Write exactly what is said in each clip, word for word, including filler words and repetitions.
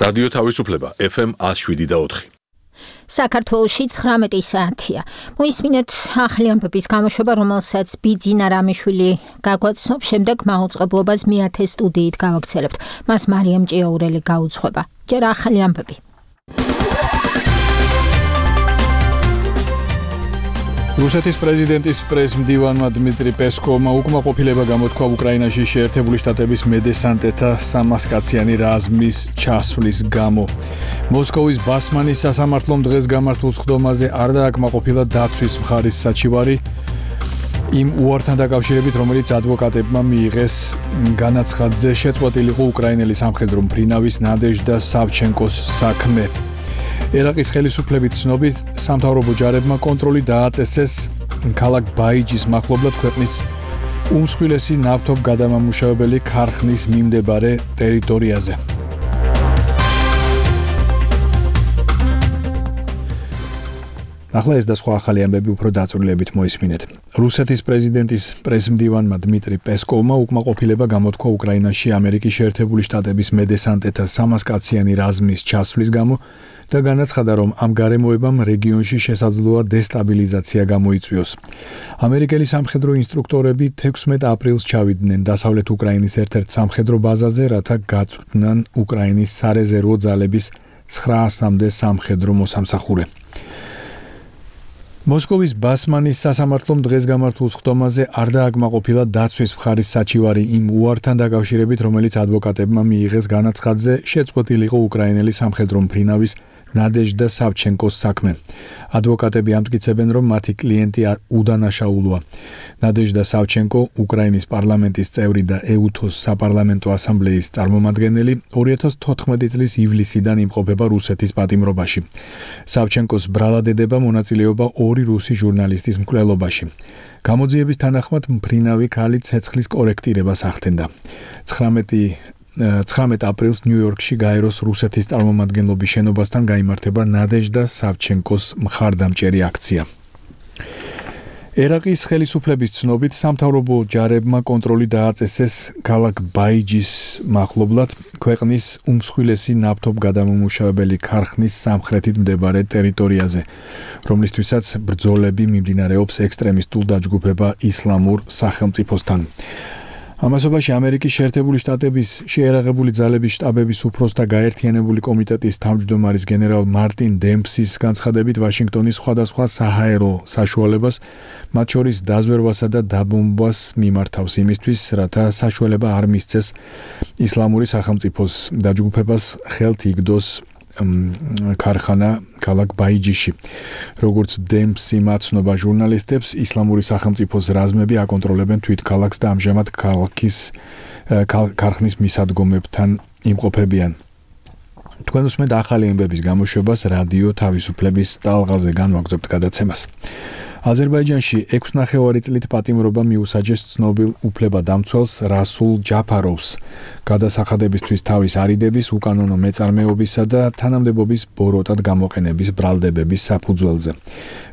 რადიო თავისუფლება ეფ ემ one oh seven და four. საქართველოში ცხრამეტი საათია. მოისმინეთ ახალი ამბების გამოშვება, რომელსაც ბიძინა რამიშვილი გაგვაცნობს, შემდეგ მაუწყებლობას მეათე სტუდიით გავაგრძელებთ. მას მარიამ ჭიაურელი გაუძღვება. ჯერ ახალი ამბები. რუსეთის პრეზიდენტის პრეს-მდივანმა დმიტრი პესკოვმა უკმაყოფილება გამოთქვა უკრაინაში შეერთებული შტატების მედესანტეთა სამასკაციანი რაზმის ჩასვლის გამო. მოსკოვის ბასმანის სასამართლომ დღეს გამართულ სხდომაზე არ დააკმაყოფილა დაცვის მხარის საჩივარი იმ უართან დაკავშირებით, რომელიც ადვოკატებმა მიიღეს განაცხადზე შეწყვეტილიყო უკრაინელი სამხედრო მფრინავის ნადეჟდა სავჩენკოს საქმე. ერაყის ხელისუფლებით ცნობით, სამთავრობო ჯარებმა კონტროლი დააწესეს ქალაქ ბაიჯის მახლობლად ქვეყნის უმსხვილესი ნავთობგადამამუშავებელი ქარხნის მიმდებარე ტერიტორიაზე. ახლა ეს და სხვა ახალი ამბები უფრო დაწვრილებით მოისმინეთ. რუსეთის პრეზიდენტის პრეს-მდივანმა დმიტრი პესკოვმა უკმაყოფილება გამოთქვა უკრაინაში ამერიკის შეერთებული შტატების მედესანტეთა სამასკაციანი რაზმის ჩასვლის გამო და განაცხადა, რომ ამ გარემოებამ რეგიონში შესაძლოა დესტაბილიზაცია გამოიწვიოს. ამერიკელი სამხედრო ინსტრუქტორები თექვსმეტ აპრილს ჩავიდნენ დასავლეთ უკრაინის ერთ-ერთ სამხედრო ბაზაზე, რათა გაწვდნან უკრაინის სარეზერვო ძალების ცხრაასამდე სამხედრო მოსამსახურე. მოსკოვის ბასმანის სასამართლომ დღეს გამართულ სხდომაზე არ დააკმაყოფილა დაცვის მხარის საჩივარი იმ უართან დაკავშირებით, რომელიც ადვოკატებმა მიიღეს განაცხადზე შეწყვეტილიყო უკრაინელი სამხედრო მფრინავის ნადეჟდა სავჩენკოს საქმე. ადვოკატები ამტკიცებენ, რომ მათი კლიენტი უდანაშაულოა. ნადეჟდა სავჩენკო, უკრაინის პარლამენტის წევრი და ეუთოს საპარლამენტო ასამბლეის წარმომადგენელი, ორი ათას თოთხმეტი წლის ივლისიდან იმყოფება რუსეთის პატიმრობაში. სავჩენკოს ბრალადედება მონაწილეობა ორი რუსი ჟურნალისტის მკვლელობაში. გამოძიების თანახმად მფრინავი ქალი ცეცხლის კორექტირებას ახდენდა. ცხრამეტ აპრილს ნიუ-იორკში გაეროს რუსეთის წარმომადგენლობის შენობასთან გაიმართება ნადეჟდა სავჩენკოს მხარდამჭერი აქცია. ერაყის ხელისუფლების ცნობით, სამთავრობო ჯარებმა კონტროლი დააწესეს ქალაქ ბაიჯის მახლობლად ქვეყნის უმსხვილესი ნავთობგადამამუშავებელი ქარხნის სამხრეთით მდებარე ტერიტორიაზე, რომლისთვისაც ბრძოლები მიმდინარეობს ექსტრემისტულ დაჯგუფება ისლამურ სახელმწიფოსთან. ამასობაში ამერიკის შეერთებული შტატების შეერაღებული ძალების შტაბების უფროსთა გაერთიანებული კომიტეტის თავმჯდომარის გენერალ მარტინ დემპსის განცხადებით, ვაშინგტონის სხვადასხვა საჰაერო საშუალებას, მათ შორის დაზვერვასა და დაბომბვას მიმართავს იმისთვის, რათა საშუალება არ მისცეს ისლამური სახელმწიფოს დაჯგუფებას ხელთ იგდოს ქარხანა ქალაქ ბაიჯიში. როგორც დემპსი მაცნობა ჟურნალისტებს, ისლამური სახელმწიფოს რაზმები აკონტროლებენ თვით ქალაქს და ამჟამად ქალაქის ქარხნის მისადგომებთან იმყოფებიან. თქვენ უსმენთ ახალი ამბების გამოშვებას რადიო თავისუფლების ტალღაზე, განვაგრძობთ გადაცემას. აზერბაიჯანში ექვს ნახევარი წლით პატიმრობა მიუსაჯეს ცნობილ უფლებადამცველს რასულ ჯაფაროვს გადასახადებისთვის თავის არიდების, უკანონო მეწარმეობისა და თანამდებობის ბოროტად გამოყენების ბრალდებების საფუძველზე.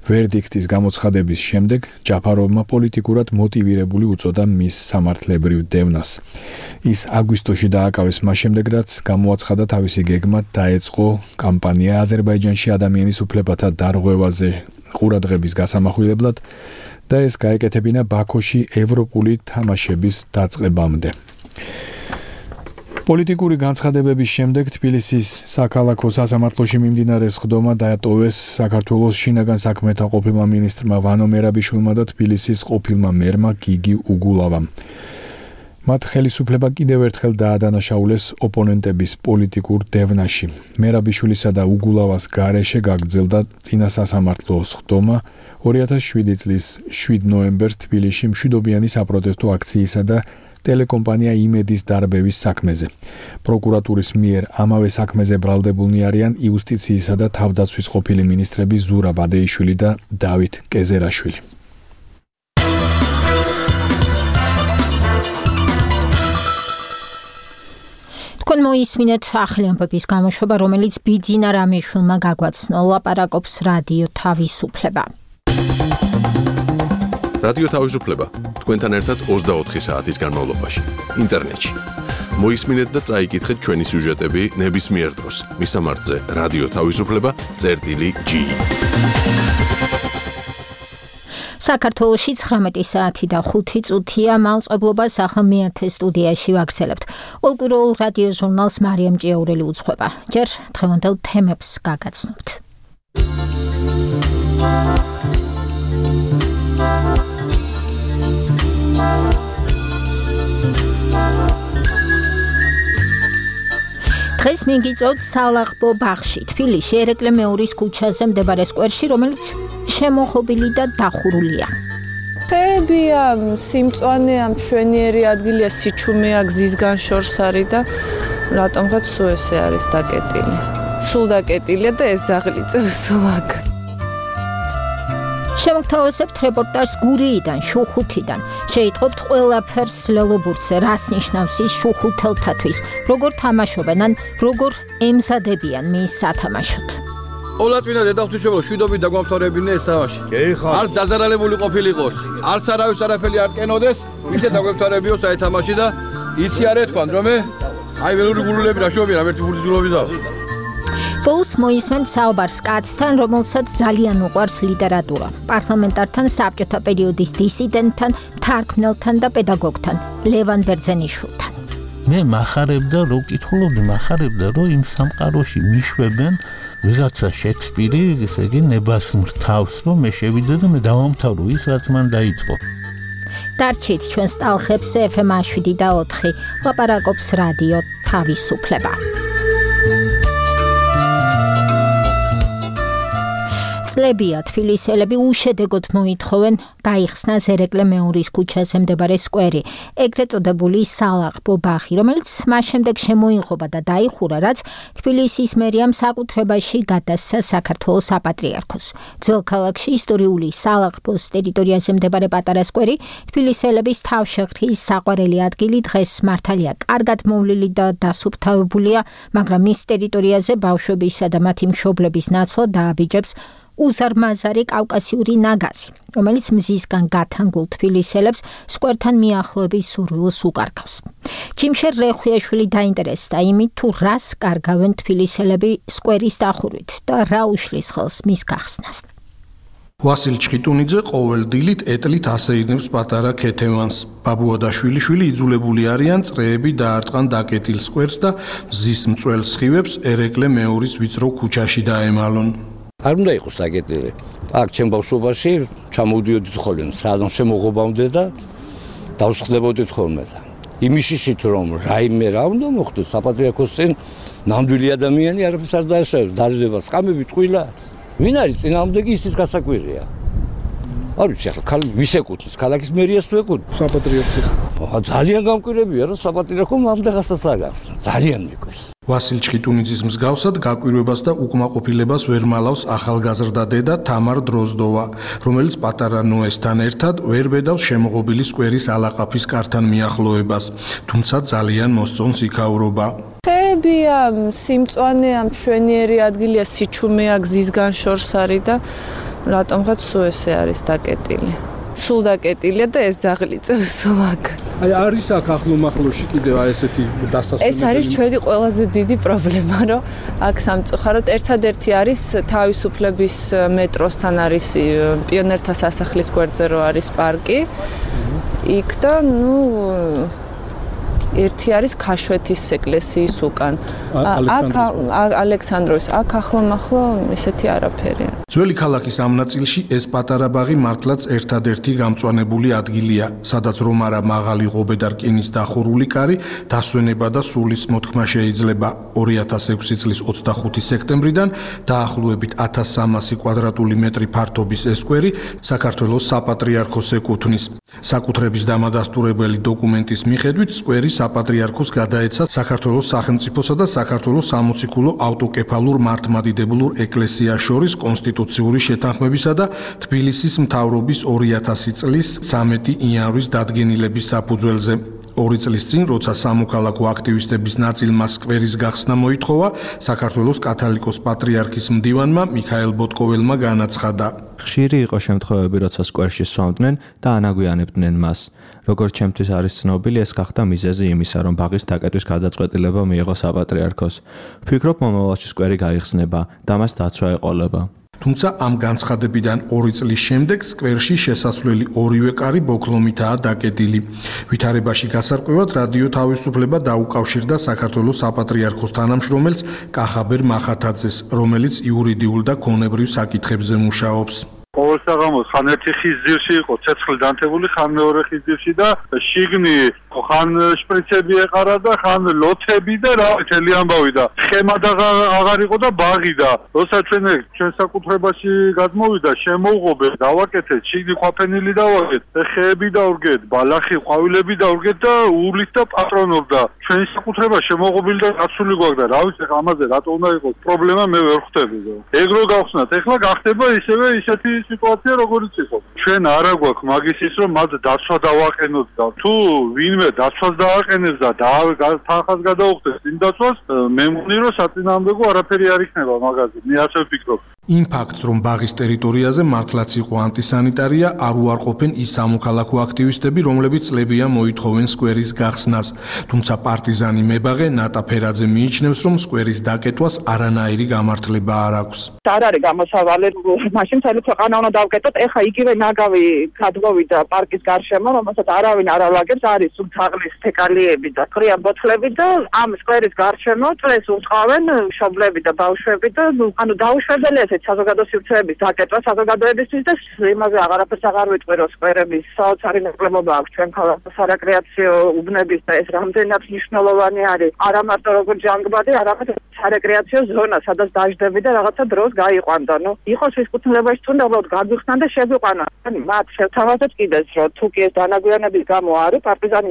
ვერდიქტის გამოცხადების შემდეგ ჯაფაროვმა პოლიტიკურად მოტივირებული უწოდა მის სამართლებრივ დევნას. ის აგვისტოში დააკავეს მას შემდეგ, რაც გამოაცხადა თავისი გეგმა დაეწყო კამპანია აზერბაიჯანში ადამიანის უფლებათა დარღვევაზე ყურადღების გასამახვილებლად და ეს გაეკეთებინა ბაქოში ევროპული თამაშების დაწყებამდე. პოლიტიკური განცხადებების შემდეგ თბილისის საქალაქო სასამართლოში მიმდინარე სხდომა დაატოვეს საქართველოს შინაგან საქმეთა ყოფილმა მინისტრმა ვანო მერაბიშვილმა და თბილისის ყოფილმა მერმა გიგი უგულავამ. მათ ხელისუფლება კიდევ ერთხელ დაადანაშაულეს ოპონენტების პოლიტიკურ დევნაში. მერაბიშვილისა და უგულავას გარეშე გაგრძელდა წინა სასამართლო სხდომა ორი ათას შვიდი წლის შვიდ ნოემბერს თბილისში მშვიდობიანი საპროტესტო აქციისა და ტელეკომპანია იმედის დარბევის საქმეზე. პროკურატურის მიერ ამავე საქმეზე ბრალდებულნი არიან იუსტიციისა და თავდაცვის ყოფილი მინისტრები ზურაბ ბადეიშვილი და დავით კეზერაშვილი. თქვენ მოისმინეთ ახალი ამბების გამოშვება, რომელიც ბიძინა რამიშვილმა გაგვაცნო, ლაპარაკობს რადიო თავისუფლება. რადიო თავისუფლება თქვენთან ერთად ოცდაოთხი საათის განმავლობაში ინტერნეტში მოისმინეთ და წაიკითხეთ ჩვენი სიუჟეტები ნებისმიერ დროს. მისამართზე რადიო თავისუფლება წერტილი ჯი. საქართველოში ცხრამეტი საათი და ხუთი წუთია მაუწყებლობას ახლა მეათე სტუდიაში ვაგრძელებთ. ყოველკვირეულ რადიო ჟურნალს მარიამ ჭიაურელი უძღვება. ჯერ დღევანდელ თემებს გაგაცნობთ. დღეს მიგიწევთ სალაღბო ბაღში, თბილისში, ერეკლე მეორის ქუჩაზე მდებარე სკვერში, რომელიც შემოღობილი და დახურულია. ხეებია, სიმწვანეა, მშვენიერი ადგილია, სიჩუმეა, გზის განშორს არის და რატომღაც სულ ესე არის დაკეტილი. სულ დაკეტილია და ეს ძაღლი წევს სულ აქ. შემოგთავაზებთ რეპორტაჟს გურიიდან, შუხუთიდან. შეიტყობთ ყველაფერს ლელობურთზე, რას ნიშნავს ის შუხუთელთათვის, როგორ თამაშობენ, ან როგორ ემზადებიან მის სათამაშოდ. ოლაწმინდა დედაღვთისმშობლო შვიდობით დაგვამთავრებინე ეს თამაში. არც დაზარალებული ყოფილიყოს, არც არავის არაფერი არ კენოდეს, ისე დაგვემთავრებიო საერთამაში და ისი არ ეთქვან, რომ აი ველური გულულები რა შობია, რა ერთი ბურთულობისა. ბოლოს მოისმენთ საუბარს კაცთან, რომელსაც ძალიან უყვარს ლიტერატურა. პარლამენტართან, საბჭოთა პერიოდის დისიდენტთან, თარგმნელთან და პედაგოგთან, ლევან ბერძენიშვილთან. მე მახარებდა, რო ვკითხულობდი, მახარებდა, რომ იმ სამყაროში მიშვებენ ვიღაცა შექსპირი, ესე იგი ნებასმრ თავს, რომ მე შევიდე და მე დავამთავრო ის, რაც მან დაიწყო. დარჩით ჩვენს ტალღებს ეფ ემ შვიდი და ოთხი, ლაპარაკობს რადიო თავისუფლება. წლებია თბილისელები უშედეგოდ მოითხოვენ გაიხსნას ერეკლე მეორის ქუჩაზე მდებარე სკვერი, ეგრეთ წოდებული სალაღბო ბაღი, რომელიც მას შემდეგ შემოიღობა და დაიხურა, რაც თბილისის მერიამ საკუთრებაში გადასცა საქართველოს საპატრიარქოს. ძველ ქალაქში ისტორიული სალაღბოს ტერიტორიაზე მდებარე პატარა სკვერი, თბილისელების თავშეყრის საყვარელი ადგილი, დღეს მართალია კარგად მოვლილი და დასუფთავებულია, მაგრამ მის ტერიტორიაზე ბავშვებისა და მათი მშობლების ნაცვლად დააბიჯებს უზარმაზარი კავკასიური ნაგაზი, რომელიც მზისგან გათანგულ თბილისელებს სკვერთან მიახლოების სურვილს უკარგავს. ჯიმშერ რეხვიაშვილი დაინტერესდა იმით, თუ რას კარგავენ თბილისელები სკვერის დახურვით და რა უშლის ხელს მის გახსნას. ვასილ ჩხიტუნიძე ყოველ დილით ეტლით ასეირნებს პატარა ქეთევანს. ბაბუა და შვილიშვილი იძულებული არიან წრეები დაარტყან დაკეტილ სკვერს და მზის მწველ სხივებს ერეკლე მეორის ვიწრო ქუჩაში დაემალონ. არ უნდა იყოს დაკეტილი. აქ ჩემ ბავშვობაში ჩამოვდიოდით ხოლმე, სადღაც შემოღობამდე და დავსხდებოდით ხოლმე და იმიშიშით რომ რაიმე რა უნდა მოხდეს საპატრიარქოს წინ ნამდვილი ადამიანი არაფერს არ დაესწრებს, დაждდება სკამები, ტყუილა. ვინ არის წინააღმდეგი ისის გასაკვირია. არ ვიცი ახლა ქალი ვის ეკუთვნის, ქალაქის მერიას თუ ეკუთვნის საპატრიარქოს. ძალიან გამკვირებია რომ საპატრიარქომ ამდღასაც არ გახსნა. ძალიან მიკვირს. ვასილ ჩხიტუნიძის მსგავსად გაკვირვებას და უკმაყოფილებას ვერ მალავს ახალგაზრდა დედა თამარ დროზდოვა, რომელიც პატარა ნოესთან ერთად ვერ ბედავს შემოღობილი სკვერის ალაყაფის კართან მიახლოებას, თუმცა ძალიან მოსწონს იქაურობა. ხეებია, სიმწვანეა, მშვენიერი ადგილია, სიჩუმეა, გზის განშორს არის და რატომღაც სულ ესე არის დაკეტილი. სულ დაკეტილია და ეს ძაღლი წევს სულ აქ. აი არის აქ ახლომახლოში კიდევ აი ესეთი დასასვენებელი. ეს არის ჩვენი ყველაზე დიდი პრობლემა, რომ აქ სამწუხაროდ ერთადერთი არის თავისუფლების მეტროსთან არის პიონერთა სასახლის გვერდზე რო არის პარკი. იქ და ნუ ერთი არის ქაშვეთის ეკლესიის უკან. აქ ალექსანდროვის, აქ ახლომახლო ისეთი არაფერია. ძველი ქალაქის ამ ნაწილში ეს პატარა ბაღი მართლაც ერთადერთი გამწვანებული ადგილია, სადაც რომ არა მაღალი ღობე და რკინის დახურული კარი, დასვენება და სულის მოთქმა შეიძლება. ორი ათას ექვსი წლის ოცდახუთი სექტემბრიდან დაახლოებით ათას სამასი კვადრატული მეტრი ფართობის ეს სკვერი საქართველოს საპატრიარქოს ეკუთვნის. საკუთრების დამადასტურებელი დოკუმენტის მიხედვით სკვერი საპატრიარქოს გადაეცა საქართველოს სახელმწიფოსა და საქართველოს სამოციქულო ავტოკეფალურ მართლმადიდებლურ ეკლესიას შორის კონსტიტუციური შეთანხმებისა და თბილისის მთავრობის ორი ათასი წლის ცამეტი იანვრის დადგენილების საფუძველზე. ორი წლის წინ, როცა სამოქალაქო აქტივისტების ნაწილმა სკვერის გახსნა მოითხოვა, საქართველოს კათოლიკოს პატრიარქის მდივანმა მიქაელ ბოტკოველმა განაცხადა. ხშირი იყო შემთხვევები, როცა სკვერში სვამდნენ და ანაგვიანებდნენ მას. როგორც ჩემთვის არის ცნობილი, ეს გახდა მიზეზი იმისა, რომ ბაღის დაკეტვის გადაწყვეტილება მიიღო საპატრიარქოს. ვფიქრობ, მომავალში სკვერი გაიხსნება და მას დაცვა ეყოლება. თუმცა ამ განცხადებიდან ორი წლის შემდეგ სკვერში შესასვლელი ორივე კარი ბოქლომითაა დაკეტილი. ვითარებაში გასარკვევად რადიო თავისუფლება დაუკავშირდა საქართველოს საპატრიარქოს თანამშრომელს კახაბერ მახათაძეს, რომელიც იურიდიულ და ქონებრივ საკითხებზე მუშაობს. ყოველ საღამოს ხან ერთი ხის ძირში იყო ცეცხლი დანთებული, ხან მეორე ხის ძირში და შიგნი ხან შპრიცები ეყარა და ხან ლოთები და რა თელი ამბავი და სქემა და აღარ იყო და ბაღი და როცა ჩვენ ჩვენ საკუთრებაში გადმოვიდა შემოუღობე დავაკეთეთ შიგნი ყვაფენილი დავაკეთ ხეები დავრგეთ ბალახი ყვავილები დავრგეთ და ულით და პატრონობ და ჩვენ საკუთრება შემოუღობილი და გაცული გვაქვს და რა ვიცი ამაზე რატო უნდა იყოს პრობლემა მე ვერ ხვდები და ეგ რო გავხსნათ ეხლა გახდება ისევე ისეთი სიტუაცია როგორიც იყო ჩვენ არა გვაქვს მაგის ის რომ მათ დაცვა დავაყენოთ და თუ ვინმე დაცვას დააყენებს და თანხას გადაუხდეს იმ დაცვას მე მგონი რომ საწინააღმდეგო არაფერი არ იქნება მაგაზე მე ასე ვფიქრობ იმ ფაქტს რომ ბაღის ტერიტორიაზე მართლაც იყო ანტისანიტარია არ უარყოფენ ის სამოქალაქო აქტივისტები რომლებიც წლებია მოითხოვენ სკვერის გახსნას თუმცა პარტიზანი მებაღე ნატა ფერაძე მიიჩნევს რომ სკვერის დაკეტვას არანაირი გამართლება არ აქვს არ არის გამოსავალი მაშინ მთელი ქვეყანა უნდა დავკეტოთ ეხა იგივე ნაგავი გადმოვიდა პარკის გარშემო რომელსაც არავინ არ ალაგებს არის სულ თაღლის თეკალიები და ყრია ბოთლები და ამ სკვერის გარშემო წლეს უწყავენ მშობლები და ბავშვები და ანუ დაუშვებელია საზოგადო სივრცეების დაკეტვა საზოგადოებისთვის და იმაზე აღარაფერს აღარ ვიტყვი რომ სკვერების საოცარი ნაკლებობა აქვს ჩვენ ქალაქში სარეკრეაციო უბნების და ეს რამდენად მნიშვნელოვანი არის არა მარტო როგორც ჯანგბადი არამედ სარეკრეაციო ზონა სადაც დაждები და რაღაცა დროს გაიყვანდა ნუ იყოს ის კუთვნილებაში თუნდა უბრალოდ გაგვიხსნა და შეგვიყვანა მათ შევთავაზეთ კიდეც რომ თუ კი ეს დანაგვიანების გამო არის პარტიზანი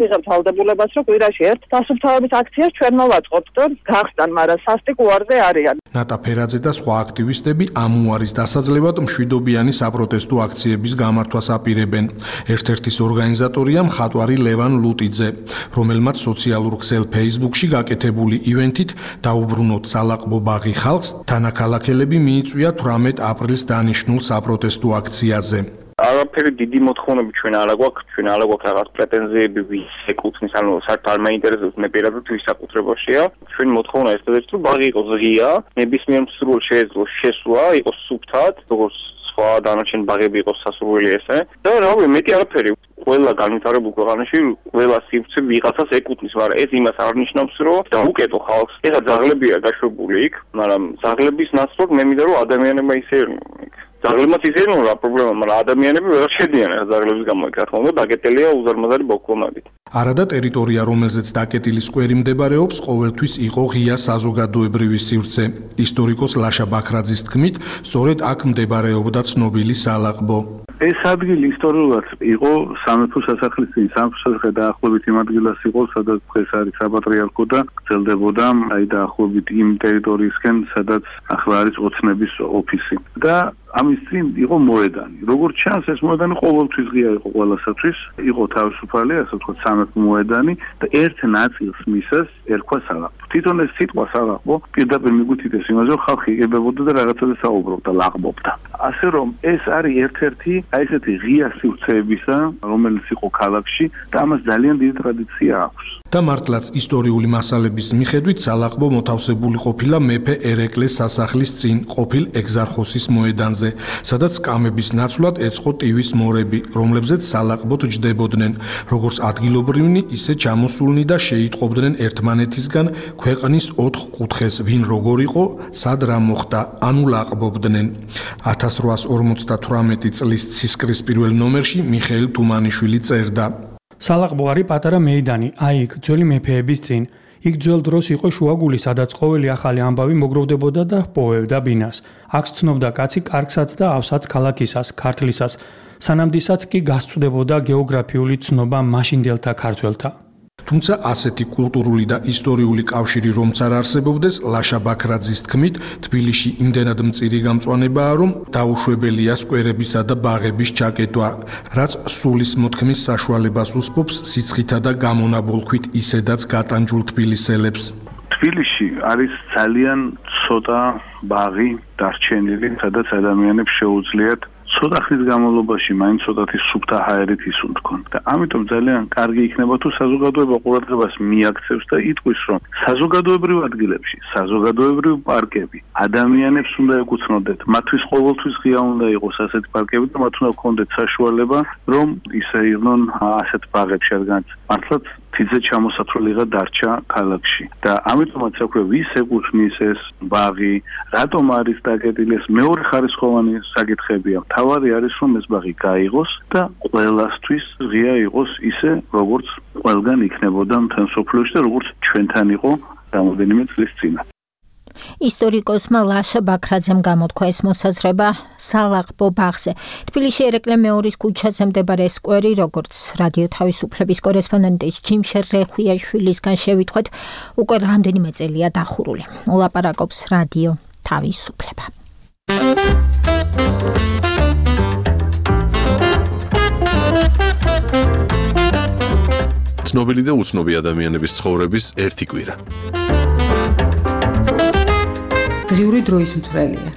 ვიღებ თავდებულებას რომ კვირაში ერთ დასუფთავების აქციას ჩვენ მოვაწყობთ და გახსნან მაგრამ სასტიკ უარზე არიან ნატა ფერაძე და სხვა აქტივისტები ამ უარის დასაძლევად მშვიდობიანი საპროტესტო აქციების გამართვას აპირებენ. ერთ-ერთის ორგანიზატორია მხატვარი ლევან ლუტიძე, რომელმაც სოციალურ ქსელ Facebook-ში გაკეთებული ივენთით დაუბრუნოთ სალაყბო ბაღი ხალხს, თანაქალაქელები მიიწვია თვრამეტ აპრილს დანიშნულ საპროტესტო აქციაზე. არაფერი დიდი მოთხოვნები ჩვენ არ აგვაქვს, ჩვენ არ აგვაქვს რაღაც პრეტენზიები ვის ეკუთვნის, ანუ საერთოდ არ მაინტერესებს მე პირადად ვის საკუთრებაშია. ჩვენ მოთხოვნა ესეთაც რომ ბაღი იყოს ღია, ნებისმიერ მსურველს შეეძლოს შესვლა, იყოს სუფთად, როგორც სხვა დანარჩენი ბაღები იყოს სასურველი ესე. და რავი, მეტი არაფერი. ყველა განვითარებულ ქვეყანაში ყველა სივრცე ვიღაცას ეკუთვნის, მაგრამ ეს იმას არ ნიშნავს, რომ დაუკეტო ხალხს. ეხლა ძაღლებია გაშვებული იქ, მაგრამ ძაღლების ნაცვლად მე მინდა რომ ადამიანებმა ისეირნონ იქ. ძაღლებმაც ისეირნონ რა პრობლემა, მაგრამ ადამიანები ვერ შედიან ეს ძაღლების გამო იქ, რა თქმა უნდა, დაკეტილია უზარმაზარი ბოქლომებით. არადა ტერიტორია, რომელზეც დაკეტილი სკვერი მდებარეობს, ყოველთვის იყო ღია საზოგადოებრივი სივრცე. ისტორიკოს ლაშა ბაქრაძის თქმით, სწორედ აქ მდებარეობდა ცნობილი სალაყბო. ეს ადგილი ისტორიულად იყო სამეფო სასახლის წინ, სამეფო სასახლე დაახლოებით იმ ადგილას იყო, სადაც დღეს არის საპატრიარქო და გრძელდებოდა აი დაახლოებით იმ ტერიტორიისკენ, სადაც ახლა არის ოცნების ოფისი. და ამის წინ იყო მოედანი. როგორც ჩანს, ეს მოედანი ყოველთვის ღია იყო ყველასათვის. იყო თავისუფალი, ასე ვთქვათ, სამეფო მოედანი და ერთ ნაწილს მისას ერქვა სალაყბო. თვითონ ეს სიტყვა სალაყბო პირდაპირ მიგვითითეს იმაზე, რომ ხალხი იგებებოდა და რაღაცაზე საუბრობდა, ლაღბობდა. ასე რომ ეს არის ერთ-ერთი აი ესეთი ღია სივრცეებისა, რომელიც იყო ქალაქში და ამას ძალიან დიდი ტრადიცია აქვს. და მართლაც ისტორიული მასალების მიხედვით სალაყბო მოთავსებული ყოფილა მეფე ერეკლეს სასახლის წინ ყოფილ ეგზარხოსის მოედანზე, სადაც კამების ნაცვლად ეწყო ტივის მორები, რომლებზეც სალაყბოთ ჯდებოდნენ, როგორც ადგილობრივნი, ისე ჩამოსულნი და შეიტყობდნენ ერთმანეთისგან ქვეყნის ოთხ კუთხეს, ვინ როგორ იყო, სად რა მოხდა, ანუ ლაყბობდნენ. ათას რვაას ორმოცდათვრამეტი წლის ცისკრის პირველ ნომერში მიხეილ თუმანიშვილი წერდა. სალაყბო არის პატარა მეიდანი, აი იქ ძველი მეფეების წინ. იქ ძველ დროს იყო შუაგული, სადაც ყოველი ახალი ამბავი მოგროვდებოდა და პოვებდა ბინას. აქ ცნობდა კაცი კარგსაც და ავსაც ქალაქისას, ქართლისას. სანამდისაც კი გასწვდებოდა გეოგრაფიული ცნობა მაშინდელთა ქართველთა. თუმცა ასეთი კულტურული და ისტორიული კავშირი რომც არ არსებობდეს, ლაშა ბაქრაძის თქმით, თბილისში იმდენად მწირი გამწვანებაა, რომ დაუშვებელია სკვერებისა და ბაღების ჩაკეტვა, რაც სულის მოთქმის საშუალებას უსპობს სიცხითა და გამონაბოლქვით ისედაც გატანჯულ თბილისელებს. თბილისში არის ძალიან ცოტა ბაღი დარჩენილი, სადაც ადამიანებს შეუძლიათ ცოტა ხნის განმავლობაში მაინც ცოტათი სუფთა ჰაერით ისუნთქონ და ამიტომ ძალიან კარგი იქნება თუ საზოგადოება ყურადღებას მიაქცევს და იტყვის რომ საზოგადოებრივ ადგილებში, საზოგადოებრივ პარკები ადამიანებს უნდა ეკუთვნოდეთ, მათთვის ყოველთვის ღია უნდა იყოს ასეთი პარკები და მათ უნდა ჰქონდეთ საშუალება რომ ისე იყვნენ ასეთ ბაღებში, რადგან მართლაც თიძე ჩამოსათვლელიღა დარჩა ქალაქში და ამიტომაც აქვე ვის ეკუთვნის ეს ბაღი, რატომ არის დაკეტილი, ეს მეორე ხარისხოვანი საკითხებია. თავარი არის რომ ეს ბაღი გაიღოს და ყველასთვის ღია იყოს ისე როგორც ყველგან იქნებოდა მთელ სოფლიოში და როგორც ჩვენთან იყო რამოდენიმე წლის წინ. ისტორიკოსმა ლაშა ბაქრაძემ გამოთქვა ეს მოსაზრება სალაღბო ბაღზე. თბილისში ერეკლე მეორის ქუჩაზე მდებარე სკვერი, როგორც რადიო თავისუფლების კორესპონდენტის ჯიმშერ რეხვიაშვილისგან შევიტყვეთ, უკვე რამდენიმე წელია დახურული. ულაპარაკობს რადიო თავისუფლება. ცნობილი და უცნობი ადამიანების ცხოვრების ერთი კვირა. დღიური დროის მთვრელია.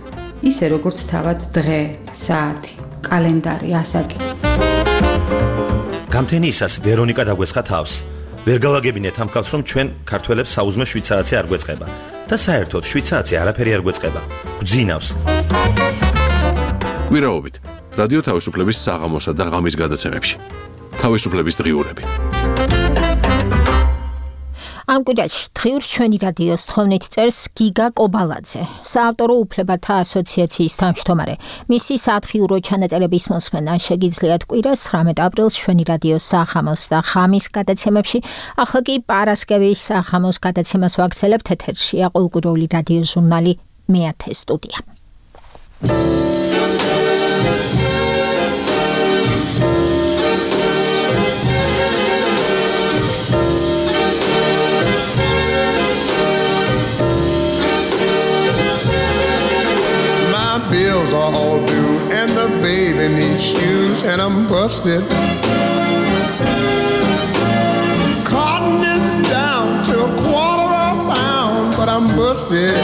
ისე როგორც თავად დღე, საათი, კალენდარი, ასაკი. გამთენიისას ვერონიკა დაგვესხა თავს. ვერ გავაგებინეთ ამ ხალხს, რომ ჩვენ ქართველებს საუზმე შვიდ საათზე არ გვეწყება და საერთოდ შვიდ საათზე არაფერი არ გვეწყება. გვძინავს. კვირაობით რადიო თავისუფლების საღამოსა და ღამის გადაცემებში. თავისუფლების დღიურები. ამ კვირაში დღიურს ჩვენი რადიოს თხოვნით წერს გიგა კობალაძე, საავტორო უფლებათა ასოციაციის თავმჯდომარე. მისი სათხიურო ჩანაწერების მოსმენა შეგიძლიათ კვირას ცხრამეტ აპრილს ჩვენი რადიოს საღამოს და ღამის გადაცემებში. ახლა კი პარასკევის საღამოს გადაცემას ვაგრძელებთ. ეთერშია ყოველკვირეული რადიო ჟურნალი მეათე სტუდია. Bills are all due and the baby needs shoes and I'm busted. Cotton is down to a quarter of a pound, but I'm busted.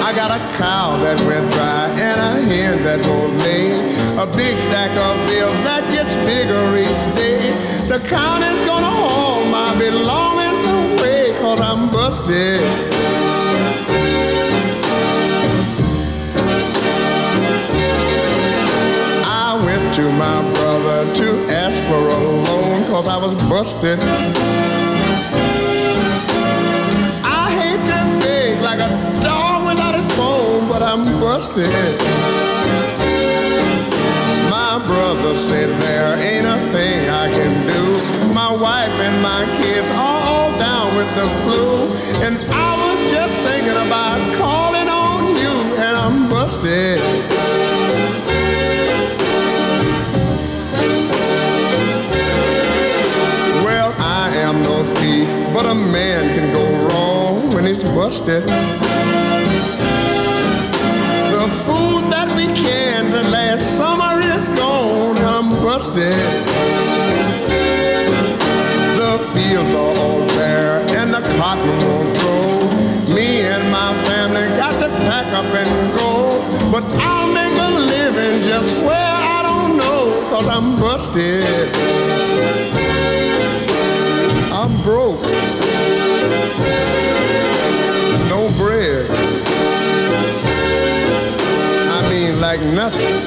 I got a cow that went dry and a hen that won't lay. A big stack of bills that gets bigger each day. The county's gonna haul my belongings away 'cause I'm busted. To my brother to ask for a loan 'cause I was busted. I hate to beg like a dog without his bone, but I'm busted. My brother said there ain't a thing I can do. My wife and my kids are all down with the flu, and I was just thinking about calling on you, and I'm busted. I'm no thief, but a man can go wrong when he's busted. The food that we canned last summer is gone, I'm busted. The fields are all bare and the cotton won't grow. Me and my family got to pack up and go, but I'll make a living just where I don't know, 'cause I'm busted. I'm broke. No bread. I mean, like nothing.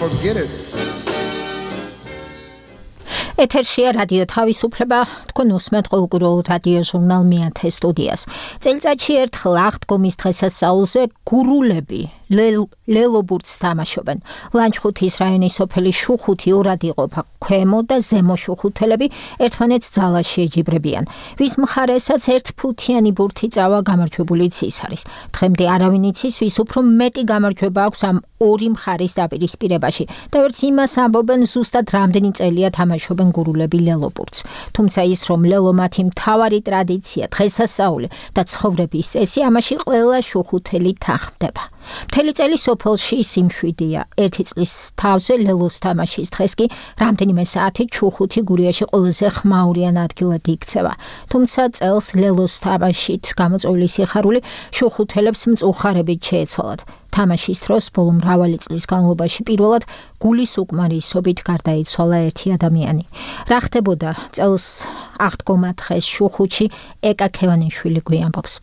Forget it. ეთერშია რადიო თავისუფლება, თქვენ უსმენთ ყოველკვირეულ რადიო ჟურნალ მეათე სტუდიას. წელიწადში ერთხელ აღდგომის დღესასწაულზე გურულები ლელობურთს თამაშობენ. ლანჩხუთის რაიონის სოფელი შუხუთი ორად იყოფა, ქვემო და ზემო შუხუთელები ერთმანეთს ძალაში ეჯიბრებიან. ვის მხარესაც ერთფუთიანი ბურთი წავა გამარჯვებულიც ის არის. დღემდე არავინ იცის, ვის უფრო მეტი გამარჯვება აქვს ამ ორი მხარის დაპირისპირებაში და ვერც იმას ამბობენ ზუსტად რამდენი წელია თამაშობენ გურულები ლელობურთს. თუმცა ის რომ ლელო მათი მთავარი ტრადიცია, დღესასწაული და ცხოვრების წესი ამაში ყველა შუხუთელი თანხმდება. მთელი წელი სოფელში სიმშვიდეა. ერთი წლის თავზე ლელოს თამაშის დღეს კი რამდენიმე საათი ჩუხუთი გურიაში ყველაზე ხმაურიან ადგილად იქცევა. თუმცა წელს ლელოს თამაშით გამოწვეული სიხარული შუხუთელებს მწუხარებით შეეცვალათ. თამაშის დროს ბოლო მრავალი წლის განმავლობაში პირველად გულის უკმარისობით გარდაიცვალა ერთი ადამიანი. რა ხდებოდა წელს აღდგომა დღეს შუხუთში ეკა ქევანიშვილი გვიამბობს.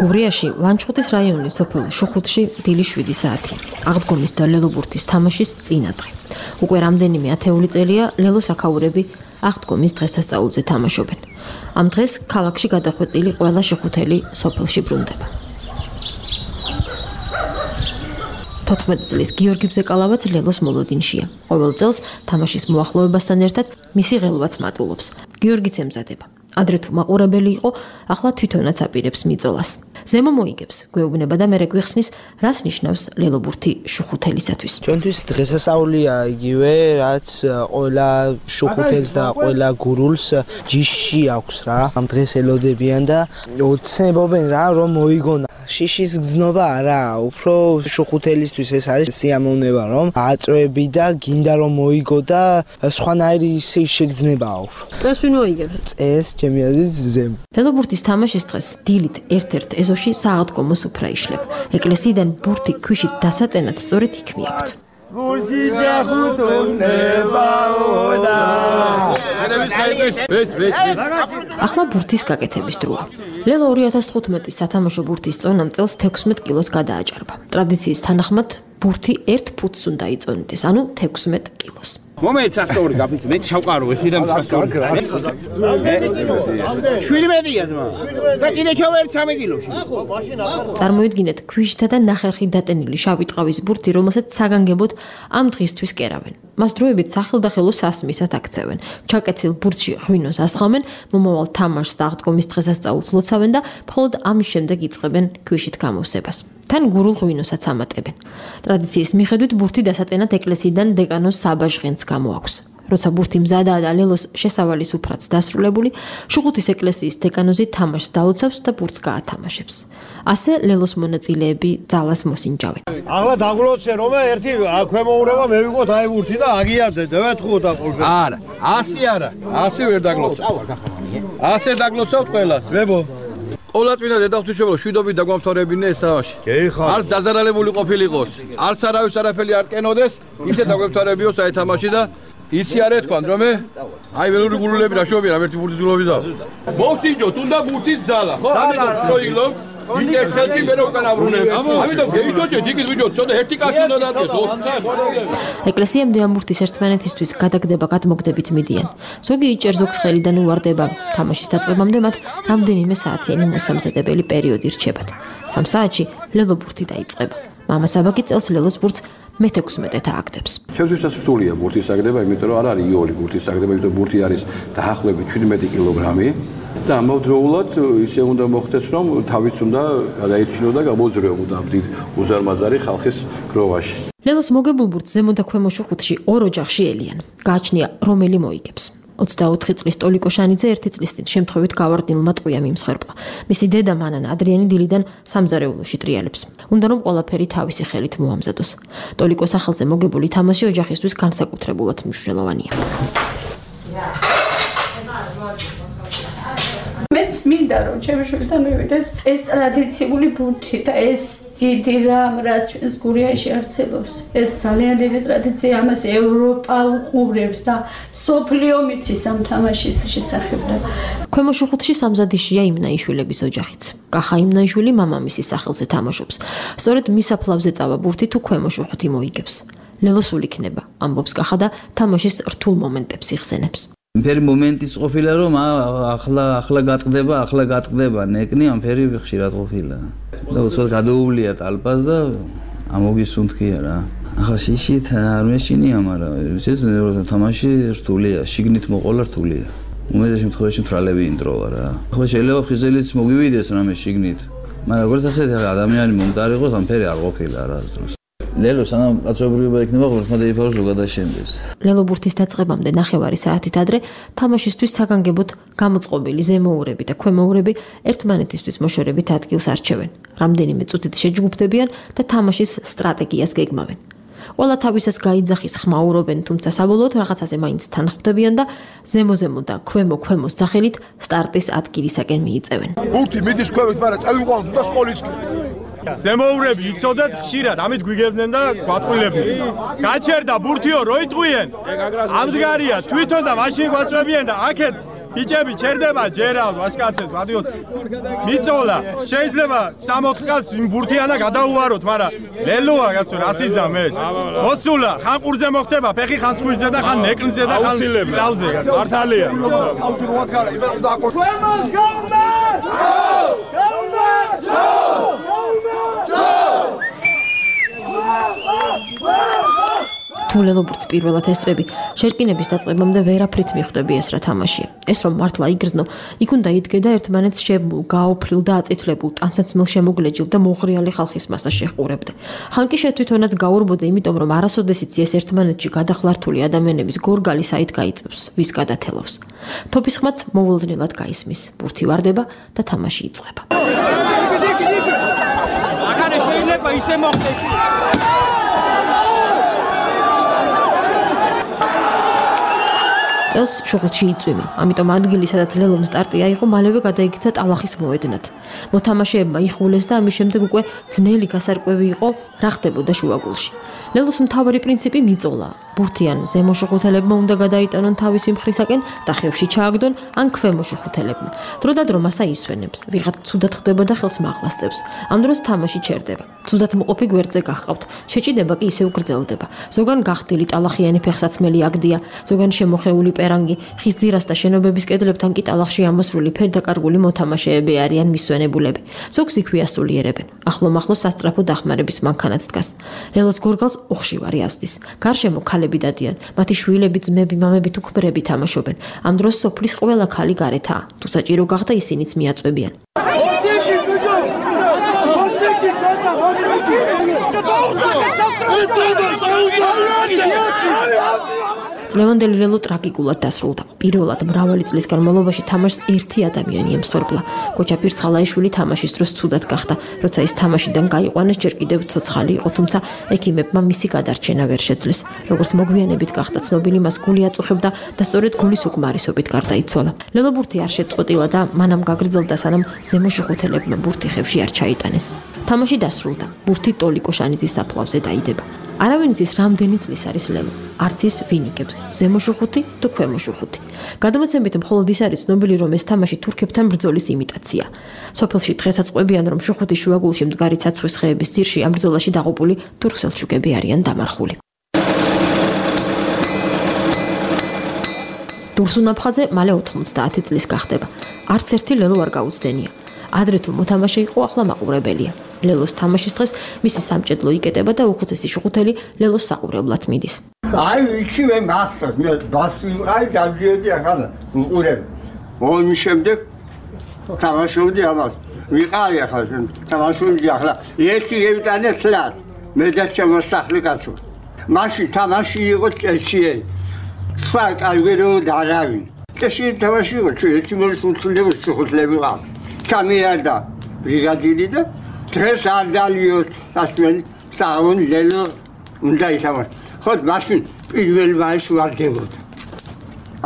გურიაში ლანჩხუთის რაიონის სოფელ შუხუთში დილის შვიდი საათი. აღდგომის და ლელობურთის თამაშის წინადღე. უკვე რამდენიმე ათეული წელია ლელოს აქაურები აღდგომის დღესასწაულზე თამაშობენ. ამ დღეს ქალაქში გადახვეწილი ყველა შუხუთელი სოფელში ბრუნდება. თოთხმეტი წლის გიორგი ბზეკალავაც ლელოს მოლოდინშია. ყოველ წელს თამაშის მოახლოებასთან ერთად მისი ღელვაც მატულობს. გიორგიც ემზადება. ადრე თუ მაყურებელი იყო, ახლა თვითონაც აპირებს მიწოლას. ზემო მოიგებს, გვეუბნება და მერე გვიხსნის, რას ნიშნავს ლელობურთი შუხუთელისათვის. ჩვენთვის დღესასწაულია იგივე, რაც ყველა შუხუთელს და ყველა გურულს ჯიში აქვს რა. ამ დღეს ელოდებიან და ოცნებობენ რა, რომ მოიგონა. შიშის გზნობა არა, უფრო შუხუთელისთვის ეს არის სიამოვნება, რომ აწვევი და გინდა რომ მოიგო და სხვანაირი შეგრძნებაა უფრო. წეს ვინ მოიგებს? წეს ჩემი აზრით ზემ. ლელობურთის თამაშის დღეს დილით ერთ-ერთ ეზოში სააღდგომო სუფრა იშლება. ეკლესიიდან ბურთი ქვიშით დასატენად სწორედ იქ მიაქვთ. გულში ჯახუტონებაოდა. ახლა ბურთის გაკეთების დროა. ლელო ორი ათას თხუთმეტის სათამაშო ბურთის წონამ წელს თექვსმეტ კილოს გადააჭარბა. ტრადიციის თანახმად ბურთი ერთ ფუტს უნდა იწონიდეს, ანუ თექვსმეტ კილოს. მომეც ასწორი გაფიცე, მე შავკარო ერთი და მსასწორი. შვიდი მეტრია ძმა. და კიდე ჩავერ სამი კილოში. წარმოიდგინეთ ქვიშითა და ნახერხით დატენილი შავი ტყავის ბურთი, რომელსაც საგანგებოდ ამ დღისთვის კერავენ. მას დროებით სახელდახელო სასმისად აქცევენ. ჩაკეცილ ბურთში ღვინოს ასხამენ, მომავალ თამაშს და აღდგომის დღესასწაულს ლოცავენ და მხოლოდ ამის შემდეგ იწყებენ ქვიშით გამოსებას. თან გურულ ღვინოსაც ამატებენ. ტრადიციის მიხედვით ბურთი დასატენად ეკლესიიდან დეკანოს საბაჟღენს გამოაქვს. როცა ბურთი მზადაა და ლელოს შესავალი სუფრაც დასრულებული, შუხუთის ეკლესიის დეკანოზი თამაშს დაუცავს და ბურთს გაათამაშებს. ასე ლელოს მონაწილეები ძალას მოსინჯავენ. ახლა დაგლოცე რომ ერთი ქვემოურება მე ვიყოთ აი ბურთი და აგიარდე და ვეთხოვოთ აყოლფე. არა, ასე არა, ასე ვერ დაგლოცავ. ასე დაგლოცავთ ყველას, ვებო. ყოლა წმინდა დედაღვთისმშობელო შვიდობით დაგვამთავრებინე ეს თამაში. არც დაზარალებული ყოფილიყოს, არც არავის არაფერი არ ტკენოდეს, ისე დაგვემთავრებიოს აი თამაში და ისი არ ეთქვან რომ აი ველური გულულები რა შობია, ერთი ბურთის გულობი და მოსინჯოთ, უნდა ბურთის ძალა, ხო? ამიტომ შოილო ვინც ერთხელში მე რო უკან აბრუნებ. ამიტომ გეიჯოჭეთ, იქით ვიჯოთ, ცოტა ერთი კაცი უნდა დადგეს, ოთხი. ეკლესიამდე ამ ბურთის ერთმანეთისთვის გადაგდება გადმოგდებით მიდიან. ზოგი იჭერ ზოგს ხელიდან უვარდება. თამაშის დაწყებამდე მათ რამდენიმე საათიანი მოსამზადებელი პერიოდი რჩებათ. სამ საათში ლელო ბურთი დაიწყება. მამა საბაკი წელს ლელოს ბურთს მე თექვსმეტად ააგდებს. ჩვენთვის სასურველია ბურთის აგდება, იმიტომ რომ არ არის იოლი ბურთის აგდება, იმიტომ რომ ბურთი არის დაახლოებით შვიდმეტი კილოგრამი და ამავდროულად ისე უნდა მოხდეს, რომ თავის უნდა გადაიჩინო და გამოზრეო დიდ უზარმაზარი ხალხის გროვაში. ლელოს მოგებულ ბურთს ზემო და ქვემო შუხუთში ორ ოჯახში ელიან. გააჩნია რომელი მოიგებს. ოცდაოთხი წლის ტოლიკო შანიძე ერთი წლის წინ შემთხვევით გავარდნილმა ტყვია მიმსხვერპლა. მისი დედა მანანა ადრიანი დილიდან სამზარეულოში ტრიალებს. უნდა რომ ყველაფერი თავისი ხელით მოამზადოს. ტოლიკოს სახელზე მოგებული თამაში ოჯახისთვის განსაკუთრებულად მნიშვნელოვანია. მეც მინდა რომ ჩემი შვილთან მივიდეს ეს ტრადიციული ბურთი და ეს დიდი რამ რაც ჩვენს გურიაში არსებობს. ეს ძალიან დიდი ტრადიცია, ამას ევროპა უყურებს და სოფლიო მიცის ამ თამაშის შესახებ. ქვემო შუხუთში სამზადიშია იმნაიშვილების ოჯახიც. კახა იმნაიშვილი მამამისის სახელზე თამაშობს. სწორედ მის აფლავზე წავა ბურთი თუ ქვემო შუხუთი მოიგებს. ლელოსულ იქნება, ამბობს კახა და თამაშის რთულ მომენტებს იხსენებს. ფერი მომენტიც ყოფილა რომ ახლა ახლა გატყდება, ახლა გატყდება ნეკნი, ამ ფერი ხშირად ყოფილა. და უცბად გადაუვლია ტალპას და ამოგისუნთქია რა. ახლა შიშით არ მეშინია, მაგრამ ეს თამაში რთულია, შიგნით მოყოლა რთულია. უმეტეს შემთხვევაში მთრალები ინტროლა რა. ახლა შეიძლება ფხიზელიც მოგივიდეს რამე შიგნით, მაგრამ როგორც ასეთი ადამიანი მომდარიყოს, ამ ფერი არ ყოფილა რა დროს. ლელო სანამ კაცობრიობა იქნება, ღმერთმა დაიფაროს რო გადაშენდეს. ლელო ბურთის დაწყებამდე ნახევარი საათით ადრე თამაშისთვის საგანგებოდ გამოწყობილი ზემოურები და ქვემოურები ერთმანეთისთვის მოშორებით ადგილს არჩევენ. რამდენიმე წუთით შეჯგუფდებიან და თამაშის სტრატეგიას გეგმავენ. ყველა თავისას გაიძახის ხმაურობენ, თუმცა საბოლოოდ რაღაცაზე მაინც თანხმდებიან და ზემო-ზემო და ქვემო-ქვემოს სახელით სტარტის ადგილისაკენ მიიწევენ. ბურთი მიდის ქვევით, მაგრამ წავიყვანოთ და სკოლისკენ. ზემოურები იცოდეთ ხშირად, ამით გვიგებდნენ და გვატყუილებდნენ. გაჩერდა ბურთიო, რო იტყვიენ. ამდგარია თვითონ და მაშინ გვაწვევიან და აქეთ ბიჭები ჩერდება ჯერა ვაშკაცებს რადიოს. მიწოლა, შეიძლება სამოთხ კაცს იმ ბურთიანა გადაუვაროთ, მაგრამ ლელოა კაცო, რასიზა მეც. მოსულა, ხან ყურზე მოხდება, ფეხი ხან სხვილზე და ხან ნეკნზე და ხან კლავზე. მართალია. თავში რომ ვაქარა, იმენ დააკო. ქვემოს გაუმარ! გაუმარ! თუ ლელობურთს პირველად ესწრები, შერკინების დაწყებამდე ვერაფრით მიხვდები ეს რა თამაშია. ეს რომ მართლა იგრძნო, იქ უნდა იდგე და ერთმანეთს შემულ, გაოფრილ და აწითლებულ, ტანსაცმელ შემოგლეჯილ და მოღრიალი ხალხის მასას შეჰყურებდე. ხან კი შეთვითონაც გაურბოდე, იმიტომ რომ არასოდეს იცი ეს ერთმანეთში გადახლართული ადამიანების გორგალი საით გაიწევს, ვის გადათელავს. თოფის ხმაც მოულოდნელად გაისმის, ბურთი ვარდება და თამაში იწყება. ახლა შეიძლება ისე მოხდეს. წელს შუღლში იწვიმა, ამიტომ ადგილი, სადაც ლელომ სტარტი აიღო, მალევე გადაიქცა ტალახის მოედნად. მოთამაშეებმა იხულეს და ამის შემდეგ უკვე ძნელი გასარკვევი იყო, რა ხდებოდა შუაგულში. ლელოს მთავარი პრინციპი მიწოლა. ბურთიან ზემო შუხუთელებმა უნდა გადაიტანონ თავისი მხრისაკენ და ხევში ჩააგდონ ან ქვემო შუხუთელებმა. დროდადრო მასა ისვენებს, ვიღაც ცუდად ხდება და ხელს მაღლასწევს. ამ დროს თამაში ჩერდება. ცუდად მყოფი გვერდზე გახყავთ, შეჭიდება კი ისევ გრძელდება. ზოგან გახდილი ტალახიანი ფეხსაცმელი აგდია, ზოგან შემოხეული პერანგი, ხის ძირას და შენობების კედლებთან კი ტალახში ამოსრული ფერდაკარგული მოთამაშეები არიან მისვენებულები. ზოგს იქვე ასულიერებენ. ახლო-მახლო სასწრაფო დახმარების მანქანაც დგას. ლელოს გორგალს უხშივარი ასდის. გარშემო ქალები დადიან, მათი შვილები, ძმები, მამები თუ ქმრები თამაშობენ. ამ დროს სოფლის ყველა ქალი გარეთაა. თუ საჭირო გახდა ისინიც მიაწვევიან. წლევანდელი ლელო ტრაგიკულად დასრულდა. პირველად მრავალი წლის განმავლობაში თამაშს ერთი ადამიანი ემსხვერპლა. კოჩა პირცხალაიშვილი თამაშის დროს ცუდად გახდა. როცა ის თამაშიდან გაიყვანეს, ჯერ კიდევ ცოცხალი იყო, თუმცა ექიმებმა მისი გადარჩენა ვერ შეძლეს. როგორც მოგვიანებით გახდა ცნობილი, მას გული აწუხებდა და სწორედ გულის უკმარისობით გარდაიცვალა. ლელო ბურთი არ შეწყვეტილა და მანამ გაგრძელდა, სანამ ზემო შუხუთელებმა ბურთი ხევში არ ჩაიტანეს. თამაში დასრულდა. ბურთი ტოლი კოშანიძის საფლავზე დაიდება. არავინ იცის რამდენი წლის არის ლელო. არც ის ვინ იგებს, ზემო შუხუთი თუ ქვემო შუხუთი. გადამოცემით მხოლოდ ის არის ცნობილი, რომ ეს თამაში თურქებთან ბრძოლის იმიტაცია. სოფელში დღესაც ყვებიან, რომ შუხუთის შუაგულში მდგარი ცაცხვის ხეების ძირში ამ ბრძოლაში დაღუპული თურქ-სელჩუკები არიან დამარხული. დურსუნაფხაძე მალე ოთხმოცდაათი წლის გახდება. არც ერთი ლელო არ გაუცდენია. ადრე თუ მოთამაშე იყო, ახლა მაყურებელია. ლელოს თამაშის დღეს მისი სამჭედლო იკეტება და უხუცესი შუხუთელი ლელოს საყურებლად მიდის. აი ვიცი მე მახსოვს, მე დასვიყავი დავიედი ახლა უყურებ. მომის შემდეგ თამაშობდი ამას. ვიყავი ახლა თამაშობდი ახლა ერთი ევიტანე წლად. მე და შემოსახლე კაცო. მაშინ თამაში იყო წესიერი. სხვა კალვერო და არავინ. წესიერი თამაში იყო, ერთი მოსულები შუხუთლები ყავ. ჩამიარდა ბრიგადირი და დღეს არ დალიოთ ასმენ საუნ ლელო უნდა ითამაშ. ხოდ მაშინ პირველი მაის ვარდებოდა.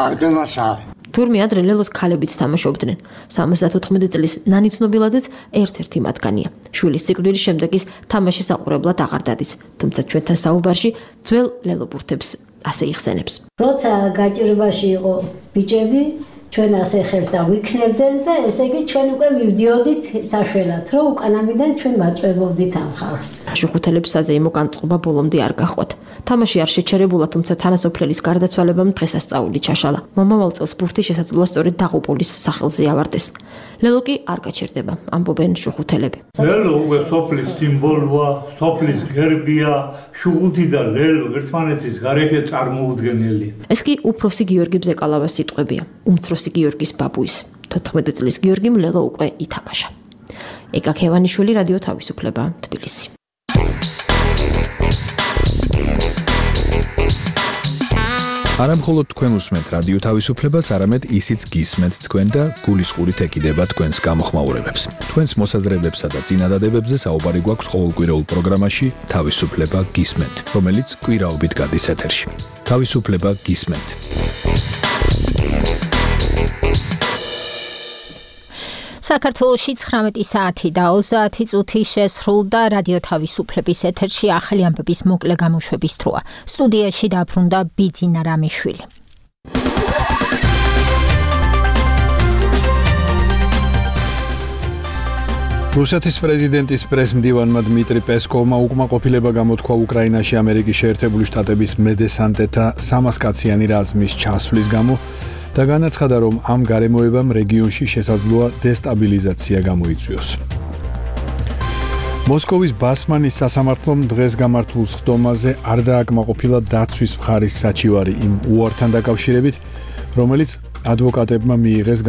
აღდამასა. თურმე ადრე ლელოს ქალებიც თამაშობდნენ. სამოცდათოთხმეტი წლის ნანი ცნობილაძეც ერთ-ერთი მათგანია. შვილის სიკვდილის შემდეგ ის თამაშის საყურებლად აღარ დადის, თუმცა ჩვენთან საუბარში ძველ ლელო ბურთებს ასე იხსენებს. როცა გაჭირვაში იყო ბიჭები, ჩვენ ასე ხელს დავიქნებდნენ და ესე იგი ჩვენ უკვე მივდიოდით საშველად, რომ უკანამიდან ჩვენ ვაწვევობდით ამ ხალხს. შუხუთელებს საზეიმო განწყობა ბოლომდე არ გახვათ. თამაში არ შეჩერებულა, თუმცა თანასოფლელის გარდაცვალებამ დღესასწაული ჩაშალა. მომავალ წელს ბურთი შესაძლოა სწორედ დაღუპულის სახელზე ავარდეს. ლელო კი არ გაჩერდება, ამბობენ შუხუთელები. ლელო უკვე სოფლის სიმბოლოა, სოფლის გერბია, შუხუთი და ლელო ერთმანეთის გარეშე წარმოუდგენელია. ეს კი უფროსი გიორგი ბზეკალავას სიტყვებია. უმცროსი პეტროსი გიორგის ბაბუის. თოთხმეტ წლის გიორგიმ ლელო უკვე ითამაშა. ეკა ქევანიშვილი, რადიო თავისუფლება, თბილისი. არა მხოლოდ თქვენ უსმენთ რადიო თავისუფლებას, არამედ ისიც გისმენთ თქვენ და გულისყურით ეკიდება თქვენს გამოხმაურებებს. თქვენს მოსაზრებებსა და წინადადებებზე საუბარი გვაქვს ყოველკვირეულ პროგრამაში თავისუფლება გისმენთ, რომელიც კვირაობით გადის ეთერში. თავისუფლება გისმენთ. საქართველოში ცხრამეტი საათი და ოცდაათი წუთი შესრულდა რადიო თავისუფლების ეთერში ახალი ამბების მოკლე გამოშვების დროა. სტუდიაში დაბრუნდა ბიძინა რამიშვილი. რუსეთის პრეზიდენტის პრესმდივანმა დმიტრი პესკოვმა უკმაყოფილება გამოთქვა უკრაინაში ამერიკის შეერთებული შტატების მედესანტეთა სამას კაციანი რაზმის ჩასვლის გამო და განაცხადა, რომ ამ გარემოებამ რეგიონში შესაძლოა დესტაბილიზაცია გამოიწვიოს. მოსკოვის ბასმანის სასამართლომ დღეს გამართულ სხდომაზე არ დააკმაყოფილა დაცვის მხარის საჩივარი იმ უართან დაკავშირებით, რომელიც ადვოკატებმა მიიღეს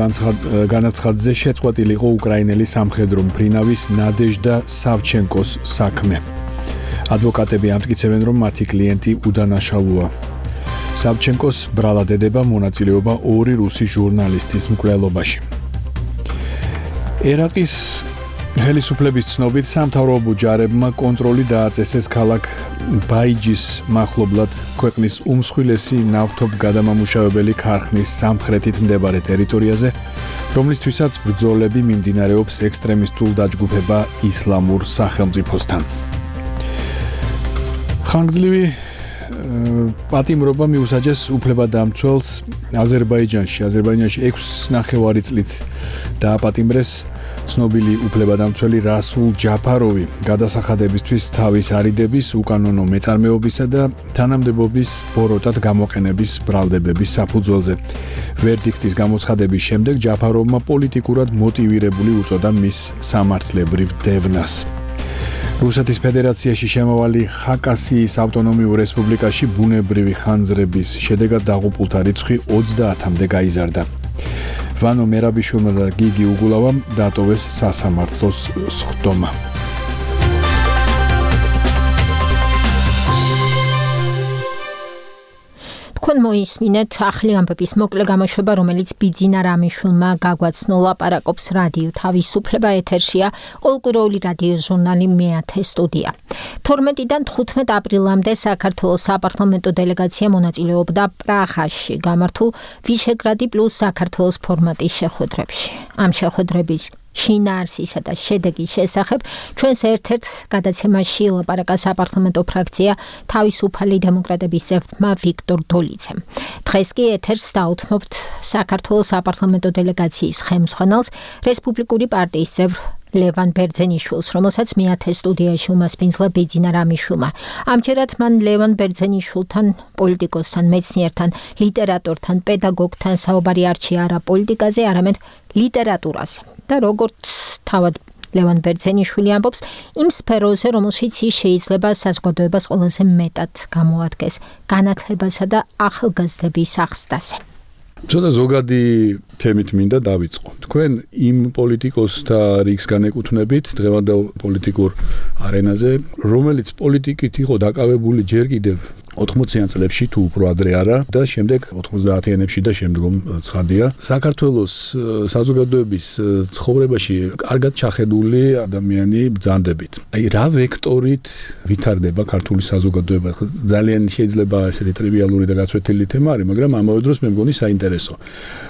განაცხადზე შეწყვეტილიყო უკრაინელი სამხედრო მფრინავის ნადეჟდა სავჩენკოს საქმე. ადვოკატები ამტკიცებენ, რომ მათი კლიენტი უდანაშაულოა. სავჩენკოს ბრალად ედება მონაწილეობა ორი რუსი ჟურნალისტის მკვლელობაში. ერაყის ხელისუფლების ცნობით სამთავრობო ჯარებმა კონტროლი დააწესეს ქალაქ ბაიჯის მახლობლად ქვეყნის უმსხვილესი ნავთობგადამამუშავებელი ქარხნის სამხრეთით მდებარე ტერიტორიაზე, რომლისთვისაც ბრძოლები მიმდინარეობს ექსტრემისტულ დაჯგუფება ისლამურ სახელმწიფოსთან. ხანგრძლივი პატიმრობა მიუსაჯეს უფლებადამცველს აზერბაიჯანში. აზერბაიჯანში ექვსი ნახევარი წლით დააპატიმრეს ცნობილი უფლებადამცველი რასულ ჯაფაროვი გადასახადებისთვის თავის არიდების, უკანონო მეწარმეობისა და თანამდებობის ბოროტად გამოყენების ბრალდებების საფუძველზე. ვერდიქტის გამოცხადების შემდეგ ჯაფაროვმა პოლიტიკურად მოტივირებული უწოდა მის სამართლებრივ დევნას. რუსეთის ფედერაციაში შემავალი ხაკასიის ავტონომიურ რესპუბლიკაში ბუნებრივი ხანძრების შედეგად დაღუპულთა რიცხვი ოცდაათამდე გაიზარდა. ვანო მერაბიშვილმა და გიგი უგულავამ დატოვეს სასამართლოს სხდომა. თქვენ მოისმინეთ ახალი ამბების მოკლე გამოშვება, რომელიც ბიძინა რამიშვილმა გაგვაცნო. ლაპარაკობს რადიო თავისუფლება, ეთერშია ყოველკვირეული რადიო ჟურნალი მეათე სტუდია. თორმეტიდან თხუთმეტ აპრილამდე საქართველოს საპარლამენტო დელეგაცია მონაწილეობდა პრაღაში გამართულ ვიშეგრადი პლუს საქართველოს ფორმატის შეხვედრებში. ამ შეხვედრების შინაარსისა და შედეგის შესახებ ჩვენს ერთ-ერთ გადაცემაში ლაპარაკა საპარლამენტო ფრაქცია თავისუფალი დემოკრატების წევრმა ვიქტორ დოლიძემ. დღეს კი ეთერს დაუთმობთ საქართველოს საპარლამენტო დელეგაციის ხელმძღვანელს, რესპუბლიკური პარტიის წევრ ლევან ბერძენიშვილს, რომელსაც მეათე სტუდიაში უმასპინძლა ბიძინა რამიშვილმა. ამჯერად მან ლევან ბერძენიშვილთან, პოლიტიკოსთან, მეცნიერთან, ლიტერატორთან, პედაგოგთან საუბარი არჩია არა პოლიტიკაზე, არამედ ლიტერატურაზე. და როგორც თავად ლევან ბერძენიშვილი ამბობს, იმ სფეროზე, რომელშიც ის შეიძლება საზოგადოებას ყველაზე მეტად გამოადგეს განათლებასა და ახალგაზრდების აღზრდაზე. ცოტა ზოგადი თემით მინდა დავიწყო. თქვენ იმ პოლიტიკოსთა რიგს განეკუთვნებით დღევანდელ პოლიტიკურ არენაზე, რომელიც პოლიტიკით იყო დაკავებული ჯერ კიდევ ოთხმოციან წლებში თუ უფრო ადრე არა და შემდეგ ოთხმოცდაათიანებში და შემდგომ ცხადია. საქართველოს საზოგადოების ცხოვრებაში კარგად ჩახედული ადამიანი ბრძანდებით. აი რა ვექტორით ვითარდება ქართული საზოგადოება? ძალიან შეიძლება ესეთი ტრივიალური და გაცვეთილი თემა არის, მაგრამ ამავე დროს მე მგონი საინტერესო.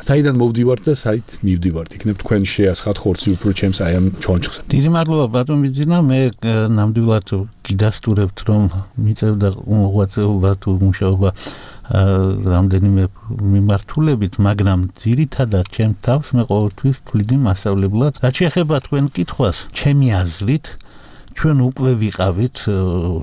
საიდან მოვდივართ და საით მივდივართ? იქნებ თქვენ შეასხათ ხორცი უფრო ჩემს აი ამ ჩონჩხს. დიდი მადლობა ბატონ ბიძინა, მე ნამდვილად გიდასტურებთ, რომ მიწევდა მოღვაწეობა თუ მუშაობა რამდენიმე მიმართულებით, მაგრამ ძირითადად ჩემ თავს მე ყოველთვის ვთვლიდი მასწავლებლად. რაც შეეხება თქვენ კითხვას, ჩემი აზრით ჩვენ უკვე ვიყავით,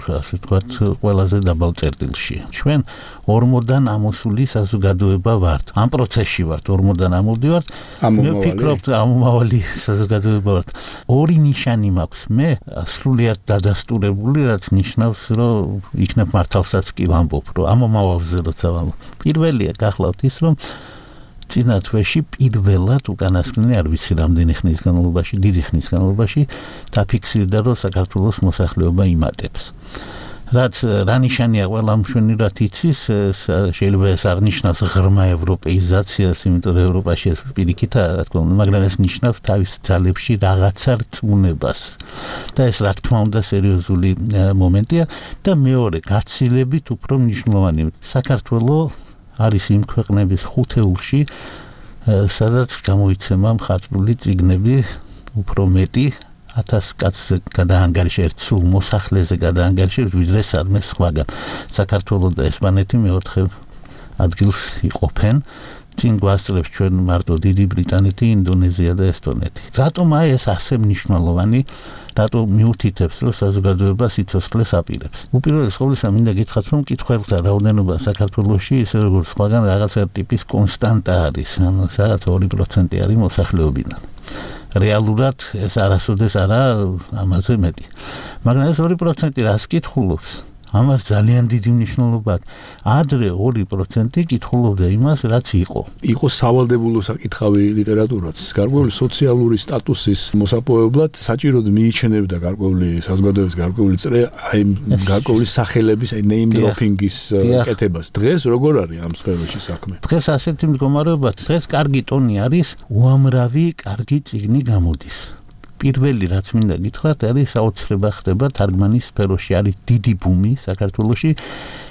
ასე ვთქვათ, ყველაზე დაბალ წერტილში. ჩვენ ორმოდან ამოსული საზოგადოება ვართ. ამ პროცესში ვართ, ორმოდან ამოვდივართ. მე ვფიქრობ, ამომავალი საზოგადოება ვართ. ორი ნიშანი მაქვს. მე სრულიად დადასტურებული, რაც ნიშნავს, რომ იქნებ მართალსაც კი ვამბობ, რომ ამომავალზე როცა ვამბობ. პირველია გახლავთ ის, რომ წინა თვეში პირველად უკანასკნელი არ ვიცი რამდენი ხნის განმავლობაში, დიდი ხნის განმავლობაში დაფიქსირდა, რომ საქართველოს მოსახლეობა იმატებს. რაც რა ნიშანია ყველა მშვენივრად იცის, შეიძლება ეს აღნიშნავს ღრმა ევროპეიზაციას, იმიტომ რომ ევროპაში ეს პირიქითაა, რა თქმა უნდა, მაგრამ ეს ნიშნავს თავის ძალებში რაღაცა რწმუნებას. და ეს რა თქმა უნდა სერიოზული მომენტია და მეორე გაცილებით უფრო მნიშვნელოვანი. საქართველოს არის იმ ქვეყნების ხუთეულში, სადაც გამოიცემა მხატვრული წიგნები უფრო მეტი ათას კაცზე გადაანგარიშე, ერთ სულ მოსახლეზე გადაანგარიშე, ვიდრე სადმე სხვაგან. საქართველოს და ესპანეთი მეოთხე ადგილს იყოფენ. წინ გვასწრებს ჩვენ მარტო დიდი ბრიტანეთი, ინდონეზია და ესტონეთი. რატომ აი ეს ასე მნიშვნელოვანი, რატო მიუთითებს, რომ საზოგადოება სიცოცხლეს აპირებს? უპირველეს ყოვლისა მინდა გითხრათ, რომ მკითხველთა რაოდენობა საქართველოში ისე როგორც სხვაგან რაღაცა ტიპის კონსტანტა არის, ანუ სადაც ორი პროცენტი არის მოსახლეობიდან. რეალურად ეს არასოდეს არა ამაზე მეტი. მაგრამ ეს ორი პროცენტი რას კითხულობს? ამას ძალიან დიდი მნიშვნელობა აქვს. ადრე ორი პროცენტი კითხულობდა იმას, რაც იყო. იყო სავალდებულო საკითხავი ლიტერატურაც. გარკვეული სოციალური სტატუსის მოსაპოვებლად საჭიროდ მიიჩნევდა გარკვეული საზოგადოების გარკვეული წრე აი გარკვეული სახელების აი name dropping-ის კეთებას. დღეს როგორ არის ამ სფეროში საქმე? დღეს ასეთი მდგომარეობა, დღეს კარგი ტონი არის, უამრავი კარგი წიგნი გამოდის. პირველი რაც მინდა გითხრათ, არის საოცრება ხდება თარგმანის სფეროში, არის დიდი ბუმი საქართველოში,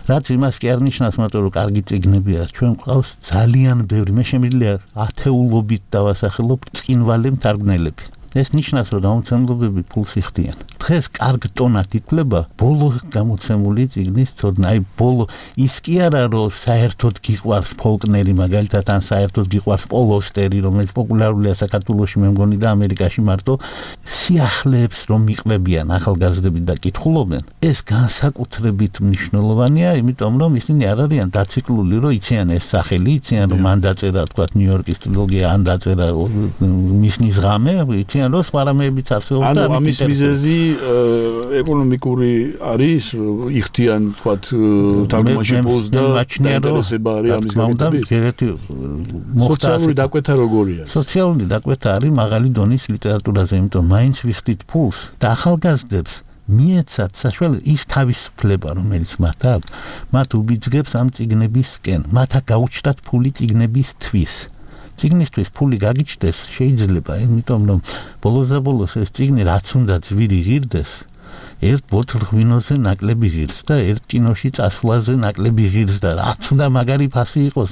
რაც იმას კი არ ნიშნავს, მაგრამ რომ კარგი წიგნებია, ჩვენ გვყავს ძალიან ბევრი, მე შემიძლია ათეულობით დავასახელო წინვალე მთარგმნელები. ეს ნიშნავს, რომ გამოცემლობები ფულს იხდიან. დღეს კარგ ტონად ითვლება ბოლო გამოცემული წიგნის ცოდნა, აი ბოლო ის კი არა, რომ საერთოდ გიყვარს ფოლკნერი, მაგალითად, ან საერთოდ გიყვარს პოლოსტერი, რომელიც პოპულარულია საქართველოში, მე მგონი და ამერიკაში მარტო სიახლეებს რომ მიყვებიან ახალგაზრდები და კითხულობენ. ეს განსაკუთრებით მნიშვნელოვანია, იმიტომ რომ ისინი არ არიან დაციკლული, რომ იციან ეს სახელი, იციან რომ მან დაწერა, თქვა ნიუ-იორკის ტრილოგია, ან დაწერა მისნის ღამე, იციან რომ სხვა რამეებიც არსებობს და ამის მიზეზი ეკონომიკური არის, იხდიან თქვა თარგმანში პულს და დაინტერესება არის ამის გაკეთების. სოციალური დაკვეთა როგორია? სოციალური დაკვეთა არის მაღალი დონის ლიტერატურაზე, იმიტომ მაინც ვიხდით პულს და ახალგაზრდებს მიეცათ საშუალება ის თავისუფლება, რომელიც მათ აქვს, მათ უბიძგებს ამ წიგნებისკენ, მათ გაუჩნდათ ფული წიგნებისთვის. წიგნისთვის ფული გაგიჩნდეს შეიძლება, იმიტომ რომ ბოლოს და ბოლოს ეს წიგნი რაც უნდა ძვირი ღირდეს, ერთ ბოთლ ღვინოზე ნაკლები ღირს და ერთ კინოში წასვლაზე ნაკლები ღირს და რაც უნდა მაგარი ფასი იყოს,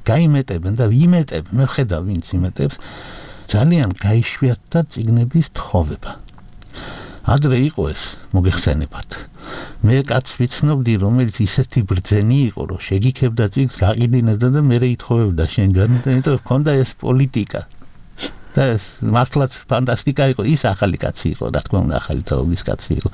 გაიმეტებენ და ვიმეტებ, მე ხედავ ვინც იმეტებს, ძალიან გაიშვიათდა წიგნების თხოვება. ადრე იყო ეს, მოგეხსენებათ. მე კაც ვიცნობდი, რომელიც ისეთი ბრძენი იყო, რომ შეგიქებდა წიგნს, გაყიდინებდა და მერე ითხოვებდა შენგან, იმიტომ რომ ჰქონდა ეს პოლიტიკა. და ეს მართლაც ფანტასტიკა იყო, ის ახალი კაცი იყო, რა თქმა უნდა, ახალი თაობის კაცი იყო.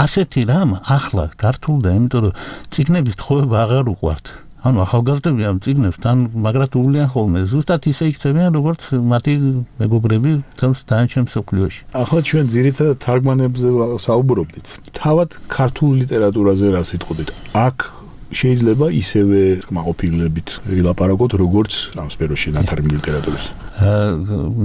ასეთი რამ ახლა გართულდა, იმიტომ რომ წიგნების თხოვება აღარ უყვართ. ანუ ახალგაზრდები ამ წიგნებს თან მაგრად უვლიან ხოლმე, ზუსტად ისე იქცევიან, როგორც მათი მეგობრები თავს დანარჩენ მსოფლიოში. ახლა ჩვენ ძირითადად თარგმანებზე საუბრობდით. თავად ქართულ ლიტერატურაზე რა სიტყვით? აქ შეიძლება ისევე კმაყოფილებით ვილაპარაკოთ, როგორც ამ სფეროში ნათარგმნი ლიტერატურის.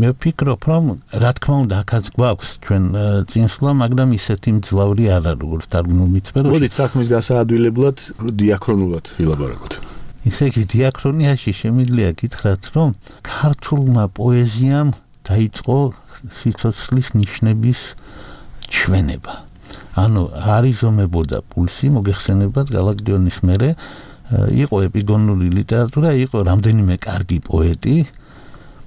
მე ვფიქრობ, რომ რა თქმა უნდა, აქაც გვაქვს ჩვენ წინსვლა, მაგრამ ისეთი მძლავრი არ არის, როგორც თარგმნული სფეროში. მოდით საქმის გასაადვილებლად დიაქრონულად ვილაპარაკოთ. ისე იგი დიაქრონიაში შემიძლია გითხრათ, რომ ქართულმა პოეზიამ დაიწყო სიცოცხლის ნიშნების ჩვენება. ანუ არიზომებოდა პულსი, მოგეხსენებათ გალაკტიონის მერე, იყო ეპიგონური ლიტერატურა, იყო რამდენიმე კარგი პოეტი,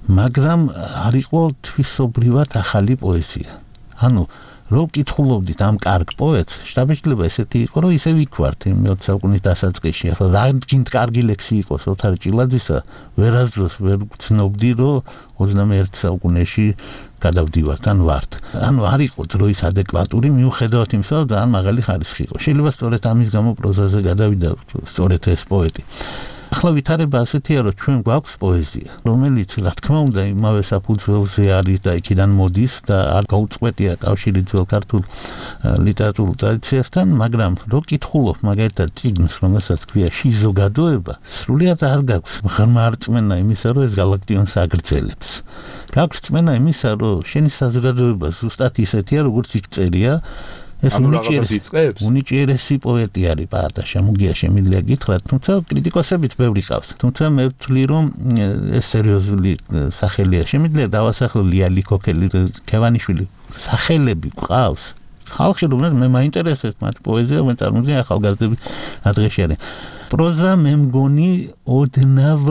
მაგრამ არ იყო თვისობრივად ახალი პოეზია. ანუ რო კითხულობდით ამ კარგ პოეტს, შთაბეჭდილება ესეთი იყო, რომ ისე ვიქვართ იმ მეოცე საუკუნის დასაწყისში. ახლა რა გინდ კარგი ლექსი იყოს ოთარ ჭილაძისა, ვერასდროს ვერ გცნობდი, რომ ოცდამეერთე საუკუნეში გადავდივართ ან ვართ. ანუ არ იყო დროის ადეკვატური, მიუხედავად იმისა, რომ ძალიან მაღალი ხარისხი იყო. შეიძლება სწორედ ამის გამო პროზაზე გადავიდა სწორედ ეს პოეტი. ეხლა ვითარება ასეთია, რომ ჩვენ გვაქვს პოეზია, რომელიც რა თქმა უნდა იმავე საფუძველზე არის და იქიდან მოდის და არ გაუწყვეტია კავშირი ძველ ქართულ ლიტერატურულ ტრადიციასთან, მაგრამ რო კითხულობ მაგალითად წიგნს, რომელსაც ქვია შიზოგადოება, სრულიად არ გაქვს ღრმა რწმენა იმისა, რომ ეს გალაქტიონს აგრძელებს. გაქვს რწმენა იმისა, რომ შენი საზოგადოება ზუსტად ისეთია, როგორც იქ წერია. ეს უნიჭიერესი პოეტი არის პაატაშა, მუგია შემიძლია გითხრათ, თუმცა კრიტიკოსებიც ბევრი ყავს. თუმცა მე ვთვლი, რომ ეს სერიოზული სახელია. შემიძლია დავასახლო ლიალი ქოქელი, ქევანიშვილი, სახელები ყავს. ხალხი რომ მე მაინტერესებს მათ პოეზია, მე წარმოვიდგინე ახალგაზრდები ადრეში არის. პროზა მე მგონი ოდნავ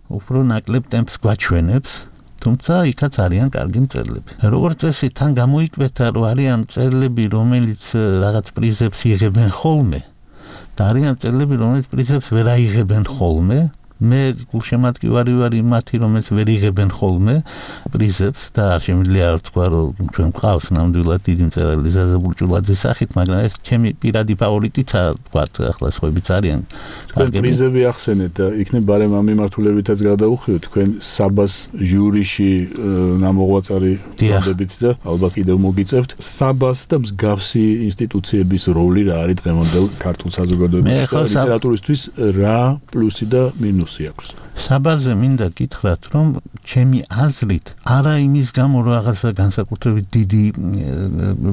უფრო ნაკლებ ტემპს გვაჩვენებს. თუმცა იქაც არიან კარგი მწერლები. როგორც წესი თან გამოიკვეთა, რომ არიან მწერლები, რომელიც რაღაც პრიზებს იღებენ ხოლმე და არიან მწერლები, რომელიც პრიზებს ვერ აიღებენ ხოლმე. მე გულშემატკივარი ვარ იმათი, რომელიც ვერ იღებენ ხოლმე პრიზებს და არ შემიძლია ვთქვა, რომ ჩვენ გვყავს ნამდვილად დიდი მწერალი ზაზა ბურჭულაძის სახით, მაგრამ ეს ჩემი პირადი ფავორიტიცაა, ვთქვათ, ახლა სხვაებიც არიან. თქვენ პრიზები ახსენეთ და იქნებ ბარემ ამ მიმართულებითაც გადაუხვიოთ, თქვენ საბას ჟურიში ნამოღვაწარი გონდებით და ალბათ კიდევ მოგიწევთ. საბას და მსგავსი ინსტიტუციების როლი რა არის დღევანდელ ქართულ საზოგადოებაში და ლიტერატურისთვის რა პლუსი და მინუსი? საბაზე მინდა გითხრათ, რომ ჩემი აზრით არა იმის გამო, რომ რაღაცა განსაკუთრებით დიდი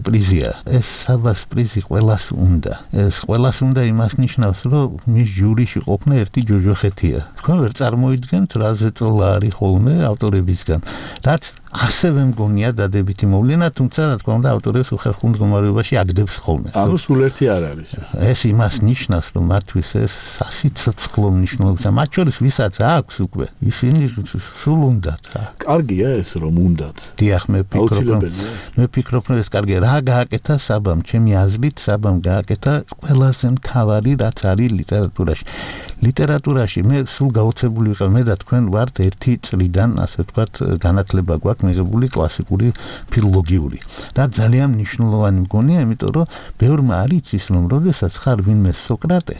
პრიზია. ეს საბას პრიზი ყველას უნდა. ეს ყველას უნდა იმას ნიშნავს, რომ მის ჟურიში ყოფნა ერთი ჯოჯოხეთია. თქვენ ვერ წარმოიდგენთ, რა ზეწოლა არის ხოლმე ავტორებისგან. რაც ასევე მგონია დადებითი მოვლენა, თუმცა რა თქმა უნდა ავტორებს უხერხულ მდგომარეობაში აგდებს ხოლმე. ანუ სულ ერთი არ არის. ეს იმას ნიშნავს, რომ მათთვის ეს სასიცოცხლო მნიშვნელობაა. მათ შორის ვისაც აქვს უკვე, ისინი სულ უნდათ. კარგია ეს რომ უნდათ. დიახ, მე ვფიქრობ, რომ მე ვფიქრობ, რომ ეს კარგია. რა გააკეთა საბამ, ჩემი აზრით, საბამ გააკეთა ყველაზე მთავარი, რაც არის ლიტერატურაში. ლიტერატურაში მე სულ გაოცებული ვიყავ, მე და თქვენ ვართ ერთი წლიდან, ასე ვთქვათ, განათლება გვაქვს მიღებული კლასიკური ფილოლოგიური. და ძალიან მნიშვნელოვანი მგონია, იმიტომ რომ ბევრმა არ იცის, რომ როდესაც ხარ ვინმე სოკრატე,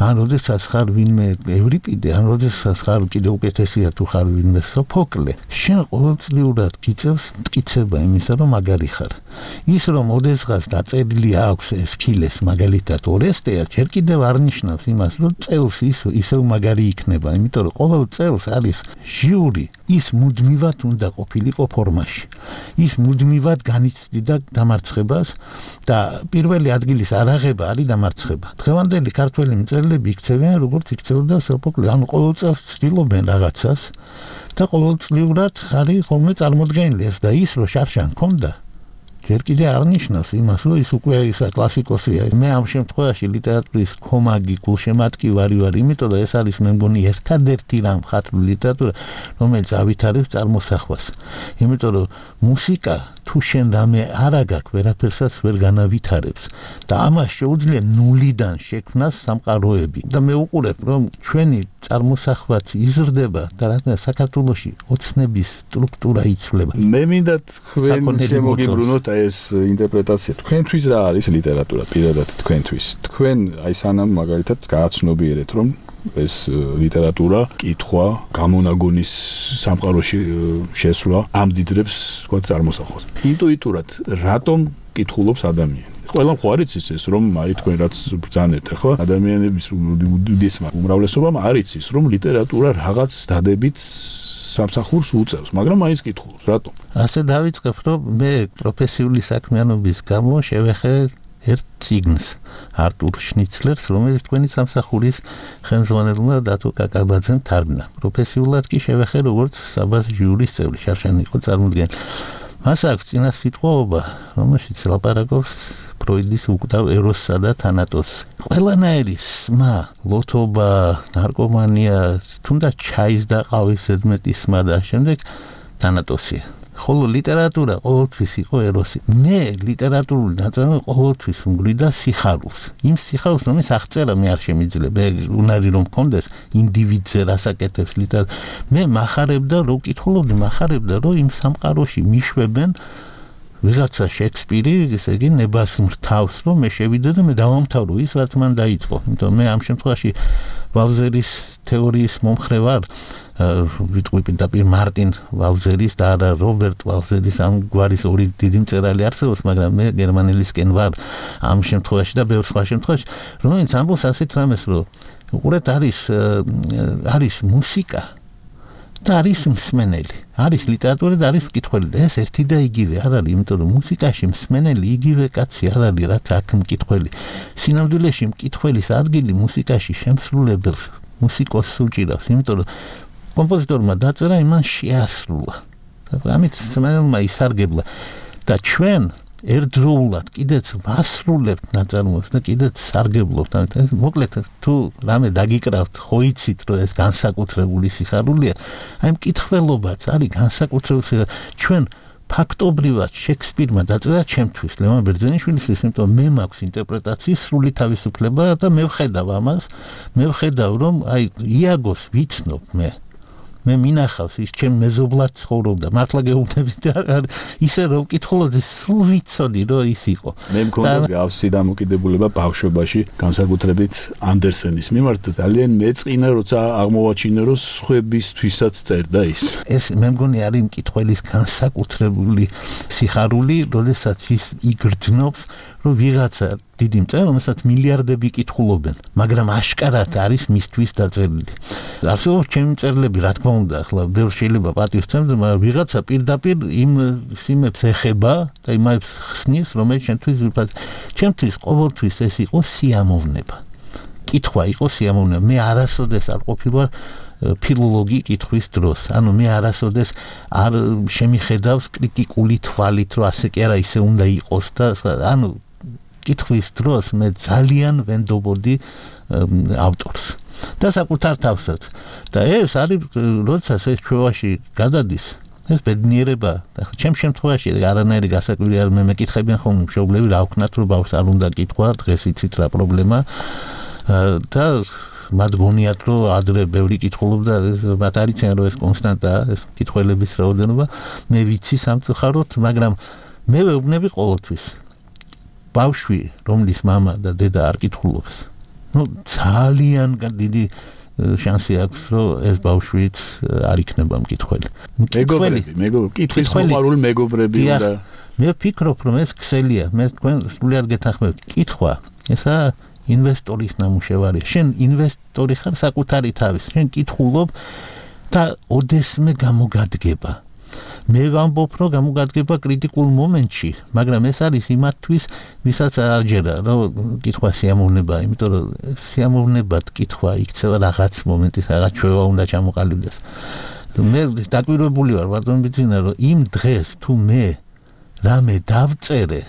ან როდესაც ხარ ვინმე ევრიპიდე, ან როდესაც ხარ კიდევ უკეთესია თუ ხარ ვინმე სოფოკლე, შენ ყოველწლიურად გიწევს მტკიცება იმისა, რომ მაგარი ხარ. ის რომ ოდესღაც დაწერილი აქვს ესქილეს მაგალითად ორესტეა, ჯერ კიდევ არ ნიშნავს იმას, რომ წელს ის ისევ მაგარი იქნება, იმიტომ რომ ყოველ წელს არის ჟიური, ის მუდმივად უნდა ყოფილიყო ფორმაში. ის მუდმივად განიცდიდა დამარცხებას და პირველი ადგილის არაღება არის დამარცხება. დღევანდელი ქართველი მწერლები იქცევიან, როგორც იქცეოდა სოფოკლე, ანუ ყოველ წელს ცდილობენ რაღაცას და ყოველწლიურად არის ხოლმე წარმოდგენილი ეს და ის რომ შარშან ქონდა ჯერ კიდე არ ნიშნავს იმას, რომ ის უკვე ისა კლასიკოსია. მე ამ შემთხვევაში ლიტერატურის ხომაგი გულშემატკივარი ვარ, იმიტომ რომ ეს არის მე მგონი ერთადერთი რამ ხათული ლიტერატურა, რომელიც ავითარებს წარმოსახვას. იმიტომ რომ მუსიკა თუ შენ რამე არ აგაქვს, ვერაფერსაც ვერ განავითარებს და ამას შეუძლია ნულიდან შექმნას სამყაროები. და მე უყურებ, რომ ჩვენი წარმოსახვაც იზრდება და რადგან საქართველოში ოცნების სტრუქტურა იცვლება. მე მინდა თქვენ შემოგიბრუნოთ ეს ინტერპრეტაცია. თქვენთვის რა არის ლიტერატურა პირადად თქვენთვის? თქვენ აი სანამ მაგალითად გააცნობიერეთ, რომ ეს ლიტერატურა, კითხვა, გამონაგონის სამყაროში შესვლა ამდიდრებს თქვა წარმოსახვას. ინტუიტურად რატომ კითხულობს ადამიანი? ყველამ ხო არ იცის ეს, რომ აი თქვენ რაც ბრძანეთ ახლა ადამიანების უდიდესმა უმრავლესობამ არ იცის, რომ ლიტერატურა რაღაც დადებით სამსახურს უწევს, მაგრამ მაინც კითხულობს, რატომ? ასე დავიწყებ, რომ მე პროფესიული საქმიანობის გამო შევეხე ერთ წიგნს არტურ შნიცლერს, რომელიც თქვენი სამსახურის ხელმძღვანელმა დათო კაკაბაძემ თარგმნა. პროფესიულად კი შევეხე როგორც საბას ჟურის წევრი, შარშანი იყო წარმოდგენილი. მას აქვს წინა სიტყვაობა, რომელშიც ლაპარაკობს ფროიდის უკვდავ ეროსსა და თანატოსს. ყველანაირი სმა, ლოთობა, ნარკომანია, თუნდაც ჩაის და ყავის ზედმეტი სმა და შემდეგ თანატოსია. ხოლო ლიტერატურა ყოველთვის იყო ეროსი. მე ლიტერატურული ნაწარმოები ყოველთვის უმგვრიდა სიხარულს. იმ სიხარულს, რომელიც აღწერა მე არ შემიძლია, უნარი რომ მქონდეს ინდივიდზე რასაკეთებს ლიტერატურა. მე მახარებდა, რომ ვკითხულობდი, მახარებდა, რომ იმ სამყაროში მიშვებენ ვიღაცა შექსპირი, ესე იგი ნებას მრთავს, რომ მე შევიდე და მე დავამთავრო ის, რაც მან დაიწყო. იმიტომ მე ამ შემთხვევაში ვალზერის თეორიის მომხრე ვარ, ვიტყვი პირდაპირ მარტინ ვალზერის და არა რობერტ ვალზერის ამ გვარის ორი დიდი მწერალი არსებობს, მაგრამ მე გერმანელისკენ ვარ ამ შემთხვევაში და ბევრ სხვა შემთხვევაში, რომელიც ამბობს ასეთ რამეს, რომ უყურეთ არის არის მუსიკა და არის მსმენელი, არის ლიტერატურა და არის მკითხველი და ეს ერთი და იგივე არ არის, იმიტომ რომ მუსიკაში მსმენელი იგივე კაცი არ არის, რაც აქ მკითხველი. სინამდვილეში მკითხველის ადგილი მუსიკაში შემსრულებელს, მუსიკოსს უჭირავს, იმიტომ რომ კომპოზიტორმა დაწერა, იმან შეასრულა. ამით მსმენელმა ისარგებლა და ჩვენ ერთდროულად კიდეც ვასრულებთ ნაწარმოებს და კიდეც სარგებლობთ. მოკლედ თუ რამე დაგიკრავთ, ხო იცით რომ ეს განსაკუთრებული სიხარულია, აი მკითხველობაც არის განსაკუთრებული. ჩვენ ფაქტობრივად შექსპირმა დაწერა ჩემთვის, ლევან ბერძენიშვილისთვის, იმიტომ მე მაქვს ინტერპრეტაციის სრული თავისუფლება და მე ვხედავ ამას, მე ვხედავ რომ აი იაგოს ვიცნობ მე. მე მინახავს ის ჩემ მეზობლად ცხოვრობდა, მართლა გეუბნებით ისე რომ ვკითხულობდი, სულ ვიცოდი რომ ის იყო. მე მქონდა გავსი დამოკიდებულება ბავშვობაში, განსაკუთრებით ანდერსენის მიმართ, ძალიან მეწყინა, როცა აღმოვაჩინე რომ სხვებისთვისაც წერდა ის. ეს მე მგონი არის მკითხველის განსაკუთრებული სიხარული, როდესაც ის იგრძნობს, რომ ვიღაცა დიდი მწერალი, რომელსაც მილიარდები კითხულობენ, მაგრამ აშკარად არის მისთვის დაწერილი. არსებობს ჩემი მწერლები, რა თქმა უნდა, ახლა ბევრ შეიძლება პატივს სცემდეს, მაგრამ ვიღაცა პირდაპირ იმ სიმებს ეხება და იმებს ხსნის, რომელიც ჩემთვის ვიფად. ჩემთვის ყოველთვის ეს იყო სიამოვნება. კითხვა იყო სიამოვნება. მე არასოდეს არ ყოფილვარ ფილოლოგი კითხვის დროს. ანუ მე არასოდეს არ შემიხედავს კრიტიკული თვალით, რომ ასე კი არა, ისე უნდა იყოს და ანუ კითხვის დროს მე ძალიან ვენდობოდი ავტორს და საკუთარ თავსაც. და ეს არის, როდესაც ეს ჩვევაში გადადის, ეს ბედნიერება. ახლა ჩემ შემთხვევაში არანაირი გასაკვირი არ მე მეკითხებიან ხოლმე მშობლები, რა ვქნათ, რომ ბავშვს არ უნდა კითხვა, დღეს იცით რა პრობლემა და მათ გონიათ, რომ ადრე ბევრი კითხულობდა, მათ არ იციან, რომ ეს კონსტანტაა, ეს კითხველების რაოდენობა. მე ვიცი სამწუხაროდ, მაგრამ მე ვეუბნები ყოველთვის. ბავშვი, რომლის მამა და დედა არ კითხულობს, ну ძალიან დიდი შანსი აქვს, რომ ეს ბავშვიც არ იქნება მკითხველი. მეგობრები, მეგობრები, კითხვის მოყვარული მეგობრები უნდა. მე ვფიქრობ, რომ ეს ქსელია, მე თქვენ სრულიად გეთანხმებით. კითხვა, ესაა ინვესტორის ნამუშევარია. შენ ინვესტორი ხარ საკუთარი თავის, შენ კითხულობ და ოდესმე გამოგადგება. მე ვამბობ, რომ გამოგადგება კრიტიკულ მომენტში, მაგრამ ეს არის იმათთვის, ვისაც არ ჯერა, რომ კითხვა სიამოვნებაა, იმიტომ რომ სიამოვნებად კითხვა იქცევა რაღაც მომენტის, რაღაც ჩვევა უნდა ჩამოყალიბდეს. მე დაკვირვებული ვარ, ბატონო ბიძინა, რომ იმ დღეს თუ მე რამე დავწერე,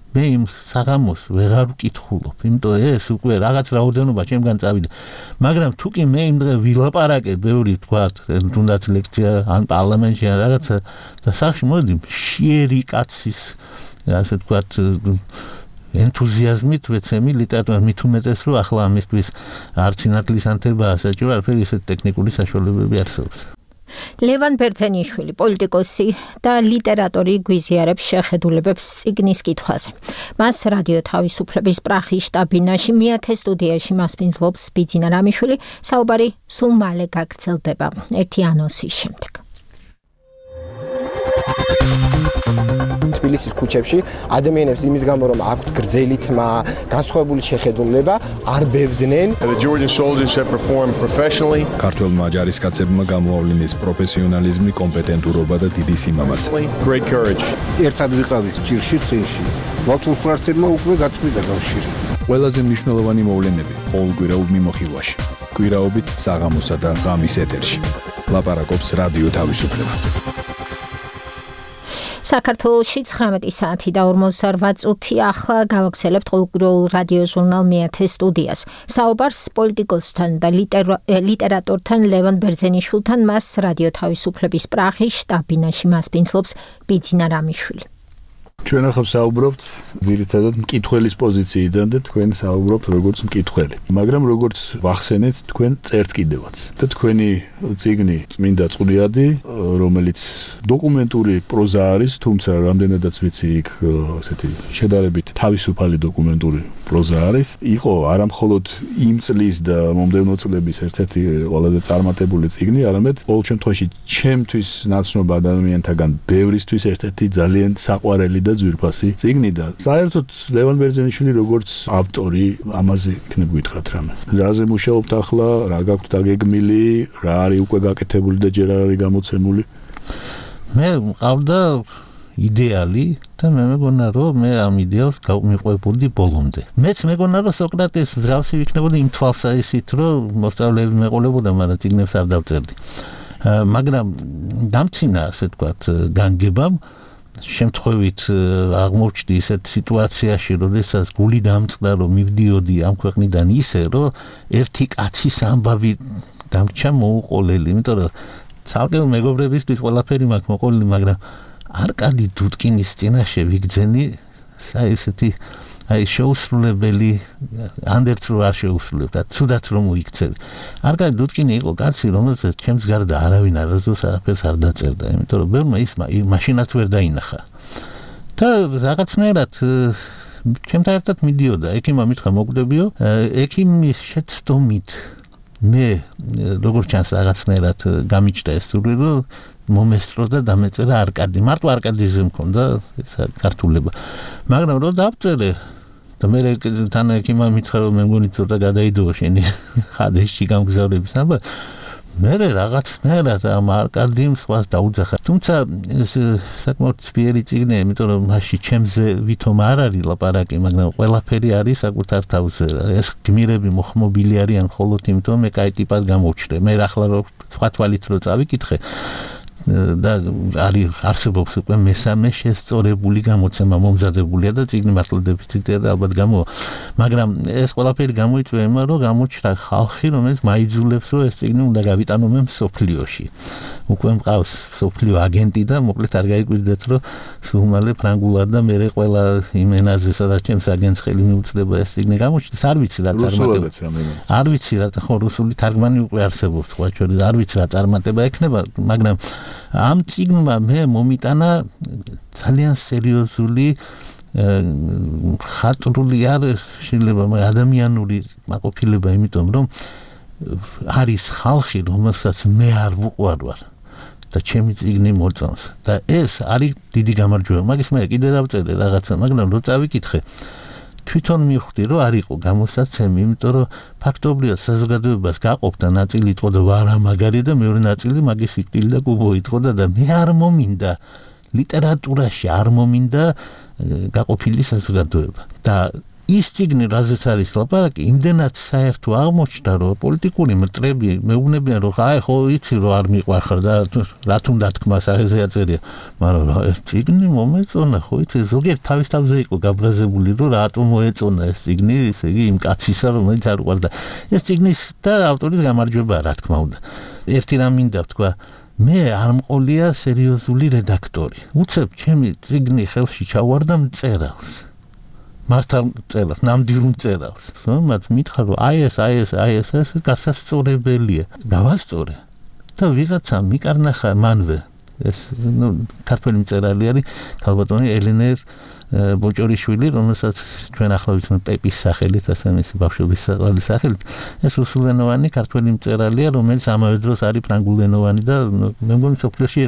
მე იმ საღამოს ვეღარ ვკითხულობ, იმიტომ ეს უკვე რაღაც რაოდენობა ჩემგან წავიდა. მაგრამ თუ კი მე იმ დღე ვილაპარაკე ბევრი, თქვათ, თუნდაც ლექცია ან პარლამენტში ან რაღაცა და სახში მოდი მშიერი კაცის, ასე თქვათ, ენთუზიაზმით ვეცემი ლიტერატურას, მით უმეტეს, რომ ახლა ამისთვის არც ინათლისანთებაა საჭირო, არაფერი, ისეთ ტექნიკური საშუალებები არსებობს. ლევან ბერძენიშვილი, პოლიტიკოსი და ლიტერატორი გვიზიარებს შეხედულებებს წიგნის კითხვაზე. მას რადიო თავისუფლების პრაღის შტაბ-ბინაში მეათე სტუდიაში მასპინძლობს ბიძინა რამიშვილი. საუბარი სულ მალე გაგრძელდება ერთი ანონსის შემდეგ. თბილისის ქუჩებში ადამიანებს იმის გამო, რომ აქვთ გრძელი თმა, განსხვავებული შეხედულება, არ ბევდნენ. The Georgian soldiers have performed professionally. ქართველმა ჯარისკაცებმა გამოავლინეს პროფესიონალიზმი, კომპეტენტურობა და დიდი სიმამაცე. Great courage. ერთად ვიყავით ჭირში წინში. მათულ ფრთებმა უკვე გაწყვიტა კავშირი. ყველაზე მნიშვნელოვანი მოვლენები ყოველკვირეულ მიმოხილვაში. კვირაობით საღამოსა და ღამის ეთერში. ლაპარაკობს რადიო თავისუფლება. საქართველოში ცხრამეტი საათი და ორმოცდაოთხ წუთი ახლა გავაგრძელებთ ყოველკვირეულ რადიო ჟურნალ მეათე სტუდიას. საუბარს პოლიტიკოსთან და ლიტერატორთან ლევან ბერძენიშვილთან, მას რადიო თავისუფლების პრაღის შტაბ-ბინაში მასპინძლობს ბიძინა რამიშვილი. ჩვენ ახლა საუბრობთ ძირითადად მკითხველის პოზიციიდან და თქვენ საუბრობთ როგორც მკითხველი. მაგრამ როგორც ვახსენეთ, თქვენ წერთ კიდევაც. და თქვენი წიგნი წმინდა წყვრიადი, რომელიც დოკუმენტური პროზა არის, თუმცა რამდენადაც ვიცი, იქ ასეთი შედარებით თავისუფალი დოკუმენტური პროზა არის. იყო არამხოლოდ იმ წლის და მომდევნო წლების ერთ-ერთი ყველაზე წარმატებული წიგნი, არამედ ყოველ შემთხვევაში ჩემთვის ნაცნობ ადამიანთაგან ბევრისთვის ერთ-ერთი ძალიან საყვარელი და ძვირფასი წიგნი და საერთოდ ლევან ბერძენიშვილი როგორც ავტორი ამაზე იქნებ გითხრათ რამე. რაზე მუშაობთ ახლა, რა გაქვთ დაგეგმილი, რა არის უკვე გაკეთებული და ჯერ არ არის გამოცემული? მე მყავდა იდეალი და მე მეგონა რომ მე ამ იდეალს გავმიყვებოდი ბოლომდე. მეც მეგონა რომ სოკრატეს ზრავსი ვიქნებოდი იმ თვალსაჩინით რომ მოსწავლეები მეყოლებოდა, მაგრამ წიგნებს არ დავწერდი. მაგრამ დამცინა ასე ვთქვათ განგებამ შემთხვევით აღმოჩნდი ისეთ სიტუაციაში, როდესაც გული დამწყდა რომ მივდიოდი ამ ქვეყნიდან ისე რომ ერთი კაცის ამბავი დამრჩა მოუყოლელი, იმიტომ რომ ცალკე მეგობრებისთვის ყველაფერი მაქვს მოყოლილი, მაგრამ არკადი დუდკინის წინაშე ვიგძენი აი ესეთი აი შეუსრულებელი ანდერც რო არ შეუსრულებდა, ცუდად რომ მოიქცევი. არკადი დუდკინი იყო კაცი, რომელსაც ჩემს გარდა არავინ არასდროს არაფერს არ დაწერდა, იმიტომ რომ ბევრმა ის მაშინაც ვერ დაინახა. და რაღაცნაირად ჩემთან ერთად მიდიოდა, ექიმმა მითხრა მოკვდებიო, ექიმის შეცდომით მე როგორც ჩანს რაღაცნაირად გამიჩნდა ეს სურვილი, რომ მომესწრო და დამეწერა არკადი. მარტო არკადიზე მქონდა ესა ქართულება. მაგრამ რო დავწერე და მე თან ექიმმა მითხრა რომ მე მგონი ცოტა გადაიდოო შენი ხადეში გამგზავრების ამბა. მე რაღაცნაირად ამ არკადიმ სხვას დაუძახა. თუმცა ეს საკმაოდ ძლიერი წიგნია, იმიტომ რომ მასში ჩემზე ვითომ არ არის ლაპარაკი, მაგრამ ყველაფერი არის საკუთარ თავზე. ეს გმირები მოხმობილი არიან მხოლოდ იმიტომ, მე კაი ტიპად გამოვჩნდე. მე ახლა რო სხვა თვალით რო წავიკითხე და არის არსებობს უკვე მესამე შესწორებული გამოცემა მომზადებულია და წიგნი მართლა დეფიციტია და ალბათ გამოვა. მაგრამ ეს ყველაფერი გამოიწვია იმან, რომ გამოჩნდა ხალხი, რომელიც მაიძულებს, რომ ეს წიგნი უნდა გავიტანო მე მსოფლიოში. უკვე მყავს მსოფლიო აგენტი და მოკლედ არ გაიკვირდეთ, რომ სულ ფრანგულად და მე ყველა იმ ენაზე, სადაც ჩემს აგენტს ხელი მიუწვდება ეს წიგნი გამოჩნდეს, არ ვიცი რა წარმატება. არ ვიცი რა, ხო რუსული თარგმანი უკვე არსებობს, სხვა შორის არ ვიცი რა წარმატება ექნება, მაგრამ ამ წიგნმა მე მომიტანა ძალიან სერიოზული ხატრული არ შეიძლება ადამიანური მაყოფილება, იმიტომ რომ არის ხალხი, რომელსაც მე არ ვუყვარ ვარ და ჩემი წიგნი მოწონს და ეს არის დიდი გამარჯვება. მაგის მე კიდე დავწერე რაღაცა, მაგრამ რო წავიკითხე თვითონ მივხვდი რომ არ იყო გამოსაცემი, იმიტომ რომ ფაქტობრივად საზოგადოებას გაყოფდა ნაწილი იტყოდა ვარა მაგარი და მეორე ნაწილი მაგის სიკვდილი და კუბო იტყოდა და მე არ მომინდა ლიტერატურაში არ მომინდა გაყოფილი საზოგადოება. და ის წიგნი, რაზეც არის ლაპარაკი, იმდენად საერთო აღმოჩნდა, რომ პოლიტიკური მტრები მეუბნებიან, რომ აი ხო იცი რომ არ მიყვარხარ და რა თუნდა თქმას აღეზეა წერია, მაგრამ რა ეს წიგნი მომეწონა, ხო იცი ზოგიერთ თავის თავზე იყო გაბრაზებული, რომ რატომ მოეწონა ეს წიგნი, ესე იგი იმ კაცისა, რომელიც არ უყვარდა. ეს წიგნის და ავტორის გამარჯვებაა, რა თქმა უნდა. ერთი რამ მინდა ვთქვა, მე არ მყოლია სერიოზული რედაქტორი. უცებ ჩემი წიგნი ხელში ჩავარდა მწერალს. მართალ წერალს, ნამდვილ მწერალს. მათ მითხრა, რომ აი ეს, აი ეს, აი ეს, ეს გასასწორებელია. დავასწორე. და ვიღაცა მიკარნახა მანვე. ეს ნუ ქართველი მწერალი არის, ქალბატონი ელენე ბოჭორიშვილი, რომელსაც ჩვენ ახლა ვიცნობ პეპის სახელით, ასე მისი ბავშვობის სახელით. ეს რუსულენოვანი ქართველი მწერალია, რომელიც ამავე დროს არის ფრანგულენოვანი და მე მგონი სოფლიოში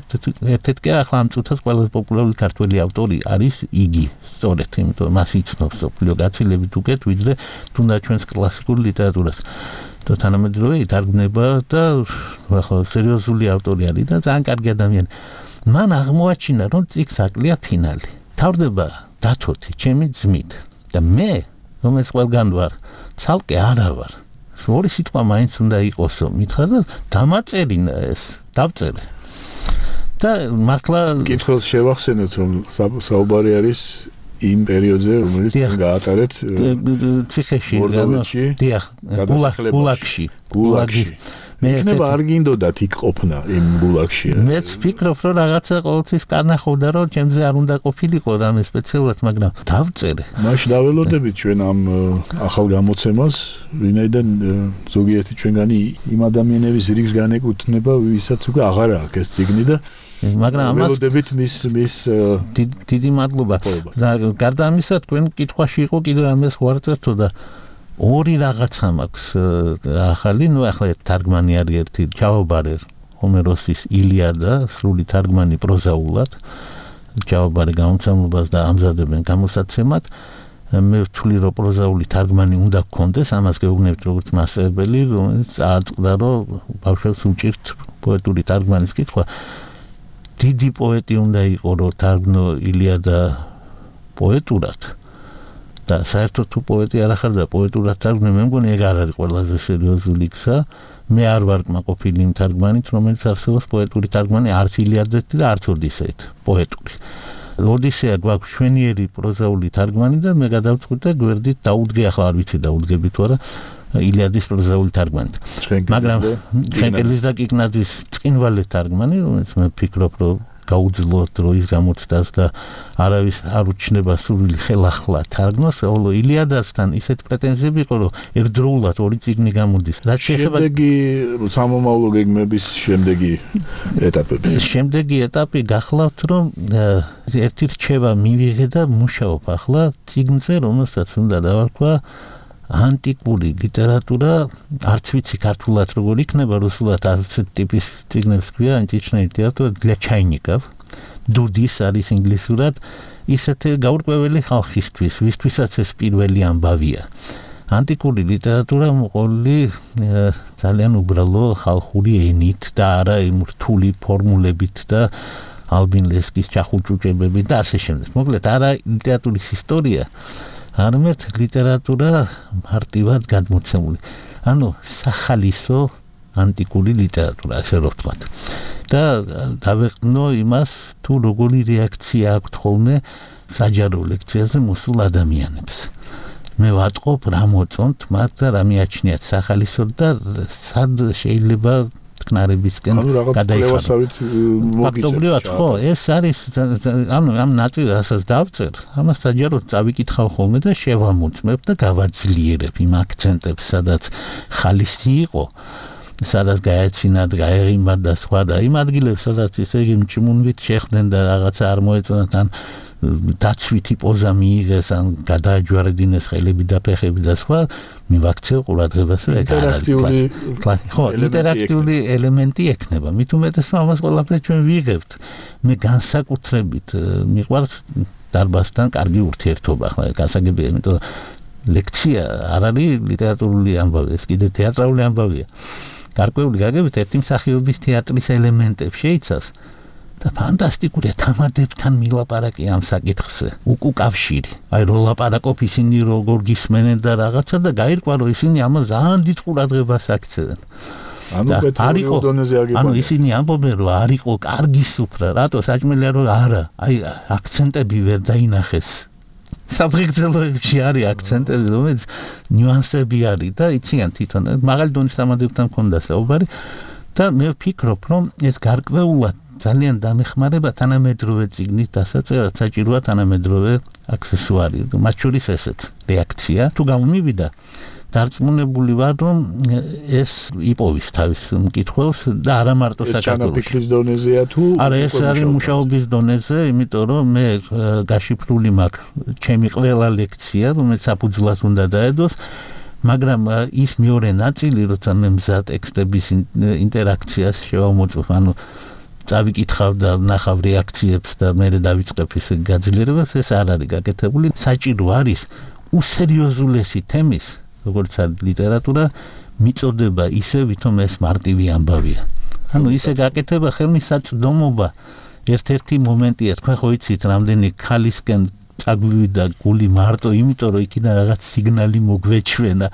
ერთ-ერთი ახლა ამ წუთას ყველაზე პოპულარული ქართველი ავტორი არის იგი. სწორედ, იმიტომ რომ მას იცნობს სოფლიო გაცილებით უკეთ, ვიდრე თუნდაც ჩვენს კლასიკურ ლიტერატურას. და თანამედროვე ითარგმნება და ახლა სერიოზული ავტორი არის და ძალიან კარგი ადამიანი. მან აღმოაჩინა, რომ წიგნს აკლია ფინალი. თავდება დათოთი, ჩემი ძმით და მე, რომელიც ყველგან ვარ, ცალკე არა ვარ. ორი სიტყვა მაინც უნდა იყოსო, მითხრა და დამაწერინა ეს, დავწერე. და მართლა კითხავს შევახსენოთ, რომ საუბარი არის იმ პერიოდზე, რომელიც გაატარეთ ციხეში, დიახ, გულაგში, გულაგში. იქნება არ გინდოდათ იქ ყოფნა იმ გულაგში. მეც ვფიქრობ, რომ რაღაცა ყოველთვის განახოდა, რომ ჩემზე არ უნდა ყოფილიყო რამე სპეციალურად, მაგრამ დავწერე. მაშინ დაველოდებით ჩვენ ამ ახალ გამოცემას, ვინაიდან ზოგიერთი ჩვენგანი იმ ადამიანების რიგს განეკუთვნება, ვისაც უკვე აღარ აქვს ეს ციგნი და მაგრამ ამას ველოდებით მის მის დიდი მადლობა. გარდა ამისა, თქვენ კითხვაში იყო კიდევ რამეს ვარწერთო და ორი რაღაცა მაქვს ახალი, ნუ ახლა თარგმანი არის ერთი ჩაობარე ჰომეროსის ილიადა, სრული თარგმანი პროზაულად. ჩაობარე გამოცემლობას და ამზადებენ გამოსაცემად. მე ვთვლი რომ პროზაული თარგმანი უნდა გქონდეს, ამას გეუბნებით როგორც მასწავლებელი, რომელიც აწყდა რომ ბავშვებს უჭირთ პოეტური თარგმანის კითხვა. დიდი პოეტი უნდა იყო რომ თარგმნო ილიადა პოეტურად. და საერთოდ თუ პოეტი არ ახარ და პოეტურად თარგმნე, მე მგონი ეგ არ არის ყველაზე სერიოზული გზა. მე არ ვარ კმაყოფილი იმ თარგმანით, რომელიც არსებობს პოეტური თარგმანი არც ილიადეთი და არც ოდისეით, პოეტური. ოდისეა გვაქვს შვენიერი პროზაული თარგმანი და მე გადავწყვიტე გვერდით დაუდგე, ახლა არ ვიცი დაუდგები თუ არა, ილიადის პროზაული თარგმანი. მაგრამ შენკელის და კიკნაძის წინვალე თარგმანი, რომელიც მე ვფიქრობ, რომ გაუძლოთ რო ის გამოცდას და არავის არ უჩნდება სრული ხელახლა თარგმნოს, ხოლო ილიადასთან ისეთ პრეტენზიები იყო, რომ ერთდროულად ორი წიგნი გამოდის. რაც შეეხება შემდეგი სამომავლო გეგმების შემდეგი ეტაპები. შემდეგი ეტაპი გახლავთ, რომ ერთი რჩევა მივიღე და მუშაობ ახლა წიგნზე, რომელსაც უნდა დავარქვა ანტიკური ლიტერატურა, არც ვიცი ქართულად როგორ იქნება, რუსულად ასეთ ტიპის წიგნებს ქვია ანტичная ლიტერატურა для чайников. დუდის არის ინგლისურად, ისეთი გაურკვეველი ხალხისთვის, ვისთვისაც ეს პირველი ამბავია. ანტიკური ლიტერატურა მოყოლი ძალიან უბრალო ხალხური ენით და არა იმ რთული ფორმულებით და ალბინ ლესკის ჩახუჭუჭებებით და ასე შემდეგ. მოკლედ არა ლიტერატურის ისტორია, არამედ ლიტერატურა მარტივად გადმოცემული. ანუ სახალისო ანტიკური ლიტერატურა, ასე რომ ვთქვათ. და დავეყნო იმას, თუ როგორი რეაქცია აქვთ ხოლმე საჯარო ლექციაზე მოსულ ადამიანებს. მე ვატყობ რა მოწონთ მათ და რა მიაჩნიათ სახალისო და სად შეიძლება თქნარებისკენ გადაიხაროთ. ფაქტობრივად ხო, ეს არის ანუ ამ ნაწილს რასაც დავწერ, ამას საჯაროდ წავიკითხავ ხოლმე და შევამოწმებ და გავაძლიერებ იმ აქცენტებს, სადაც ხალისი იყო, სადაც გაეცინათ, გაეღიმათ და სხვა და იმ ადგილებს, სადაც ესე იგი მჭმუნვით შეხვდნენ და რაღაცა არ მოეწონათ, ან დაცვითი პოზა მიიღეს, ან გადააჯვარედინეს ხელები და ფეხები და სხვა, მივაქცევ ყურადღებას, რომ ეგ არ არის. ხო, ინტერაქტიული ელემენტი ექნება. მით უმეტეს ამას ყველაფერს ჩვენ ვიღებთ. მე განსაკუთრებით მიყვარს დარბაზთან კარგი ურთიერთობა, ახლა გასაგებია, იმიტომ რომ ლექცია არ არის ლიტერატურული ამბავი, ეს კიდე თეატრალური ამბავია. გარკვეული გაგებით ერთი მსახიობის თეატრის ელემენტებს შეიცავს. და ფანტასტიკურია თამადებთან მილაპარაკი ამ საკითხზე. უკუკავშირი. აი რო ლაპარაკობ ისინი როგორ გისმენენ და რაღაცა და გაირკვა რომ ისინი ამას ძალიან დიდ ყურადღებას აქცევენ. ანუ პეტროლიო დონეზე აგებია. ანუ ისინი ამბობენ რომ არ იყო კარგი სუფრა, რატო საჭმელია რომ არა. აი აქცენტები ვერ დაინახეს. საფრთხეებში არის აქცენტები, რომელიც ნიუანსები არის და იციან თვითონ. მაღალი დონის თამადებთან მქონდა საუბარი და მე ვფიქრობ რომ ეს გარკვეულად ძალიან დამეხმარება თანამედროვე წიგნით დასაწერად, საჭიროა თანამედროვე აქსესუარი. მათ შორის ესეც რეაქცია. თუ გამომივიდა, დარწმუნებული ვარ, რომ ეს იპოვის თავის მკითხველს და არა მარტო საქართველოში. ეს საქართველოში. დონეზეა თუ არა, ეს არის მუშაობის დონეზე, იმიტომ რომ მე გაშიფრული მაქვს ჩემი ყველა ლექცია, რომელიც საფუძვლად უნდა დაედოს. მაგრამ ის მეორე ნაწილი, როცა მე მზა ტექსტების ინტერაქციას შევამოწმებ, ანუ წავიკითხავ და ნახავ რეაქციებს და მე დავიწყებ ის გაძლიერებებს, ეს არ არის გაკეთებული. საჭირო არის უსერიოზულესი თემის, როგორც არის ლიტერატურა, მიწოდება ისე, ვითომ ეს მარტივი ამბავია. ანუ ისე გაკეთება ხელმისაწვდომობა. ერთ-ერთი მომენტია, თქვენ ხო იცით, რამდენი ხალისკენ წაგვივიდა გული მარტო იმიტომ, რომ იქიდან რაღაც სიგნალი მოგვეჩვენა.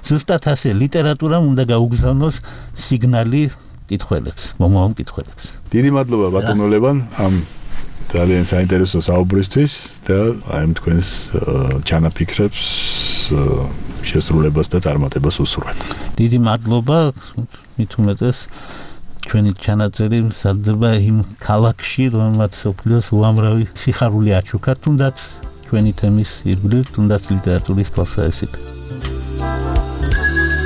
ზუსტად ასე ლიტერატურამ უნდა გაუგზავნოს სიგნალი კითხველებს, მომავალ კითხველებს. დიდი მადლობა ბატონო ლევან ამ ძალიან საინტერესო საუბრისთვის და აი ამ თქვენს ჩანაფიქრებს შესრულებას და წარმატებას უსურვებ. დიდი მადლობა, მით უმეტეს ჩვენი ჩანაწერი მზადდება იმ ქალაქში, რომელმაც სოფლიოს უამრავი სიხარული აჩუქა, თუნდაც ჩვენი თემის ირგვლივ, თუნდაც ლიტერატურის თვალსაზრისით.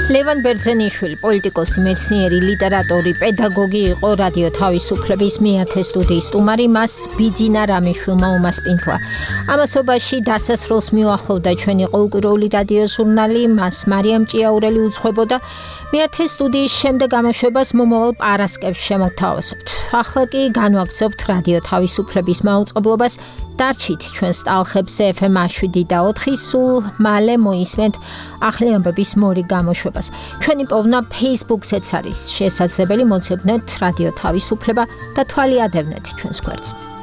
ლევან ბერძენიშვილი, პოლიტიკოსი, მეცნიერი, ლიტერატორი, პედაგოგი იყო რადიო თავისუფლების მეათე სტუდიის სტუმარი, მას ბიძინა რამიშვილმა უმასპინძლა. ამასობაში დასასრულს მიუახლოვდა ჩვენი ყოველკვირეული რადიო ჟურნალი, მას მარიამ ჭიაურელი უძღვებოდა. მეათე სტუდიის შემდეგ გამოშვებას მომავალ პარასკევს შემოგთავაზებთ. ახლა კი განვაგრძობთ რადიო თავისუფლების მაუწყებლობას. დარჩით ჩვენს ტალხებზე ეფ ემ შვიდი და ოთხი, სულ მალე მოისმენთ ახალი ამბების მორი გამოშვებას. ჩვენი პოვნა Facebook-ზეც არის შესაძლებელი, მოცემთ რადიო თავისუფლება და თვალი ადევნეთ ჩვენს გვერდს.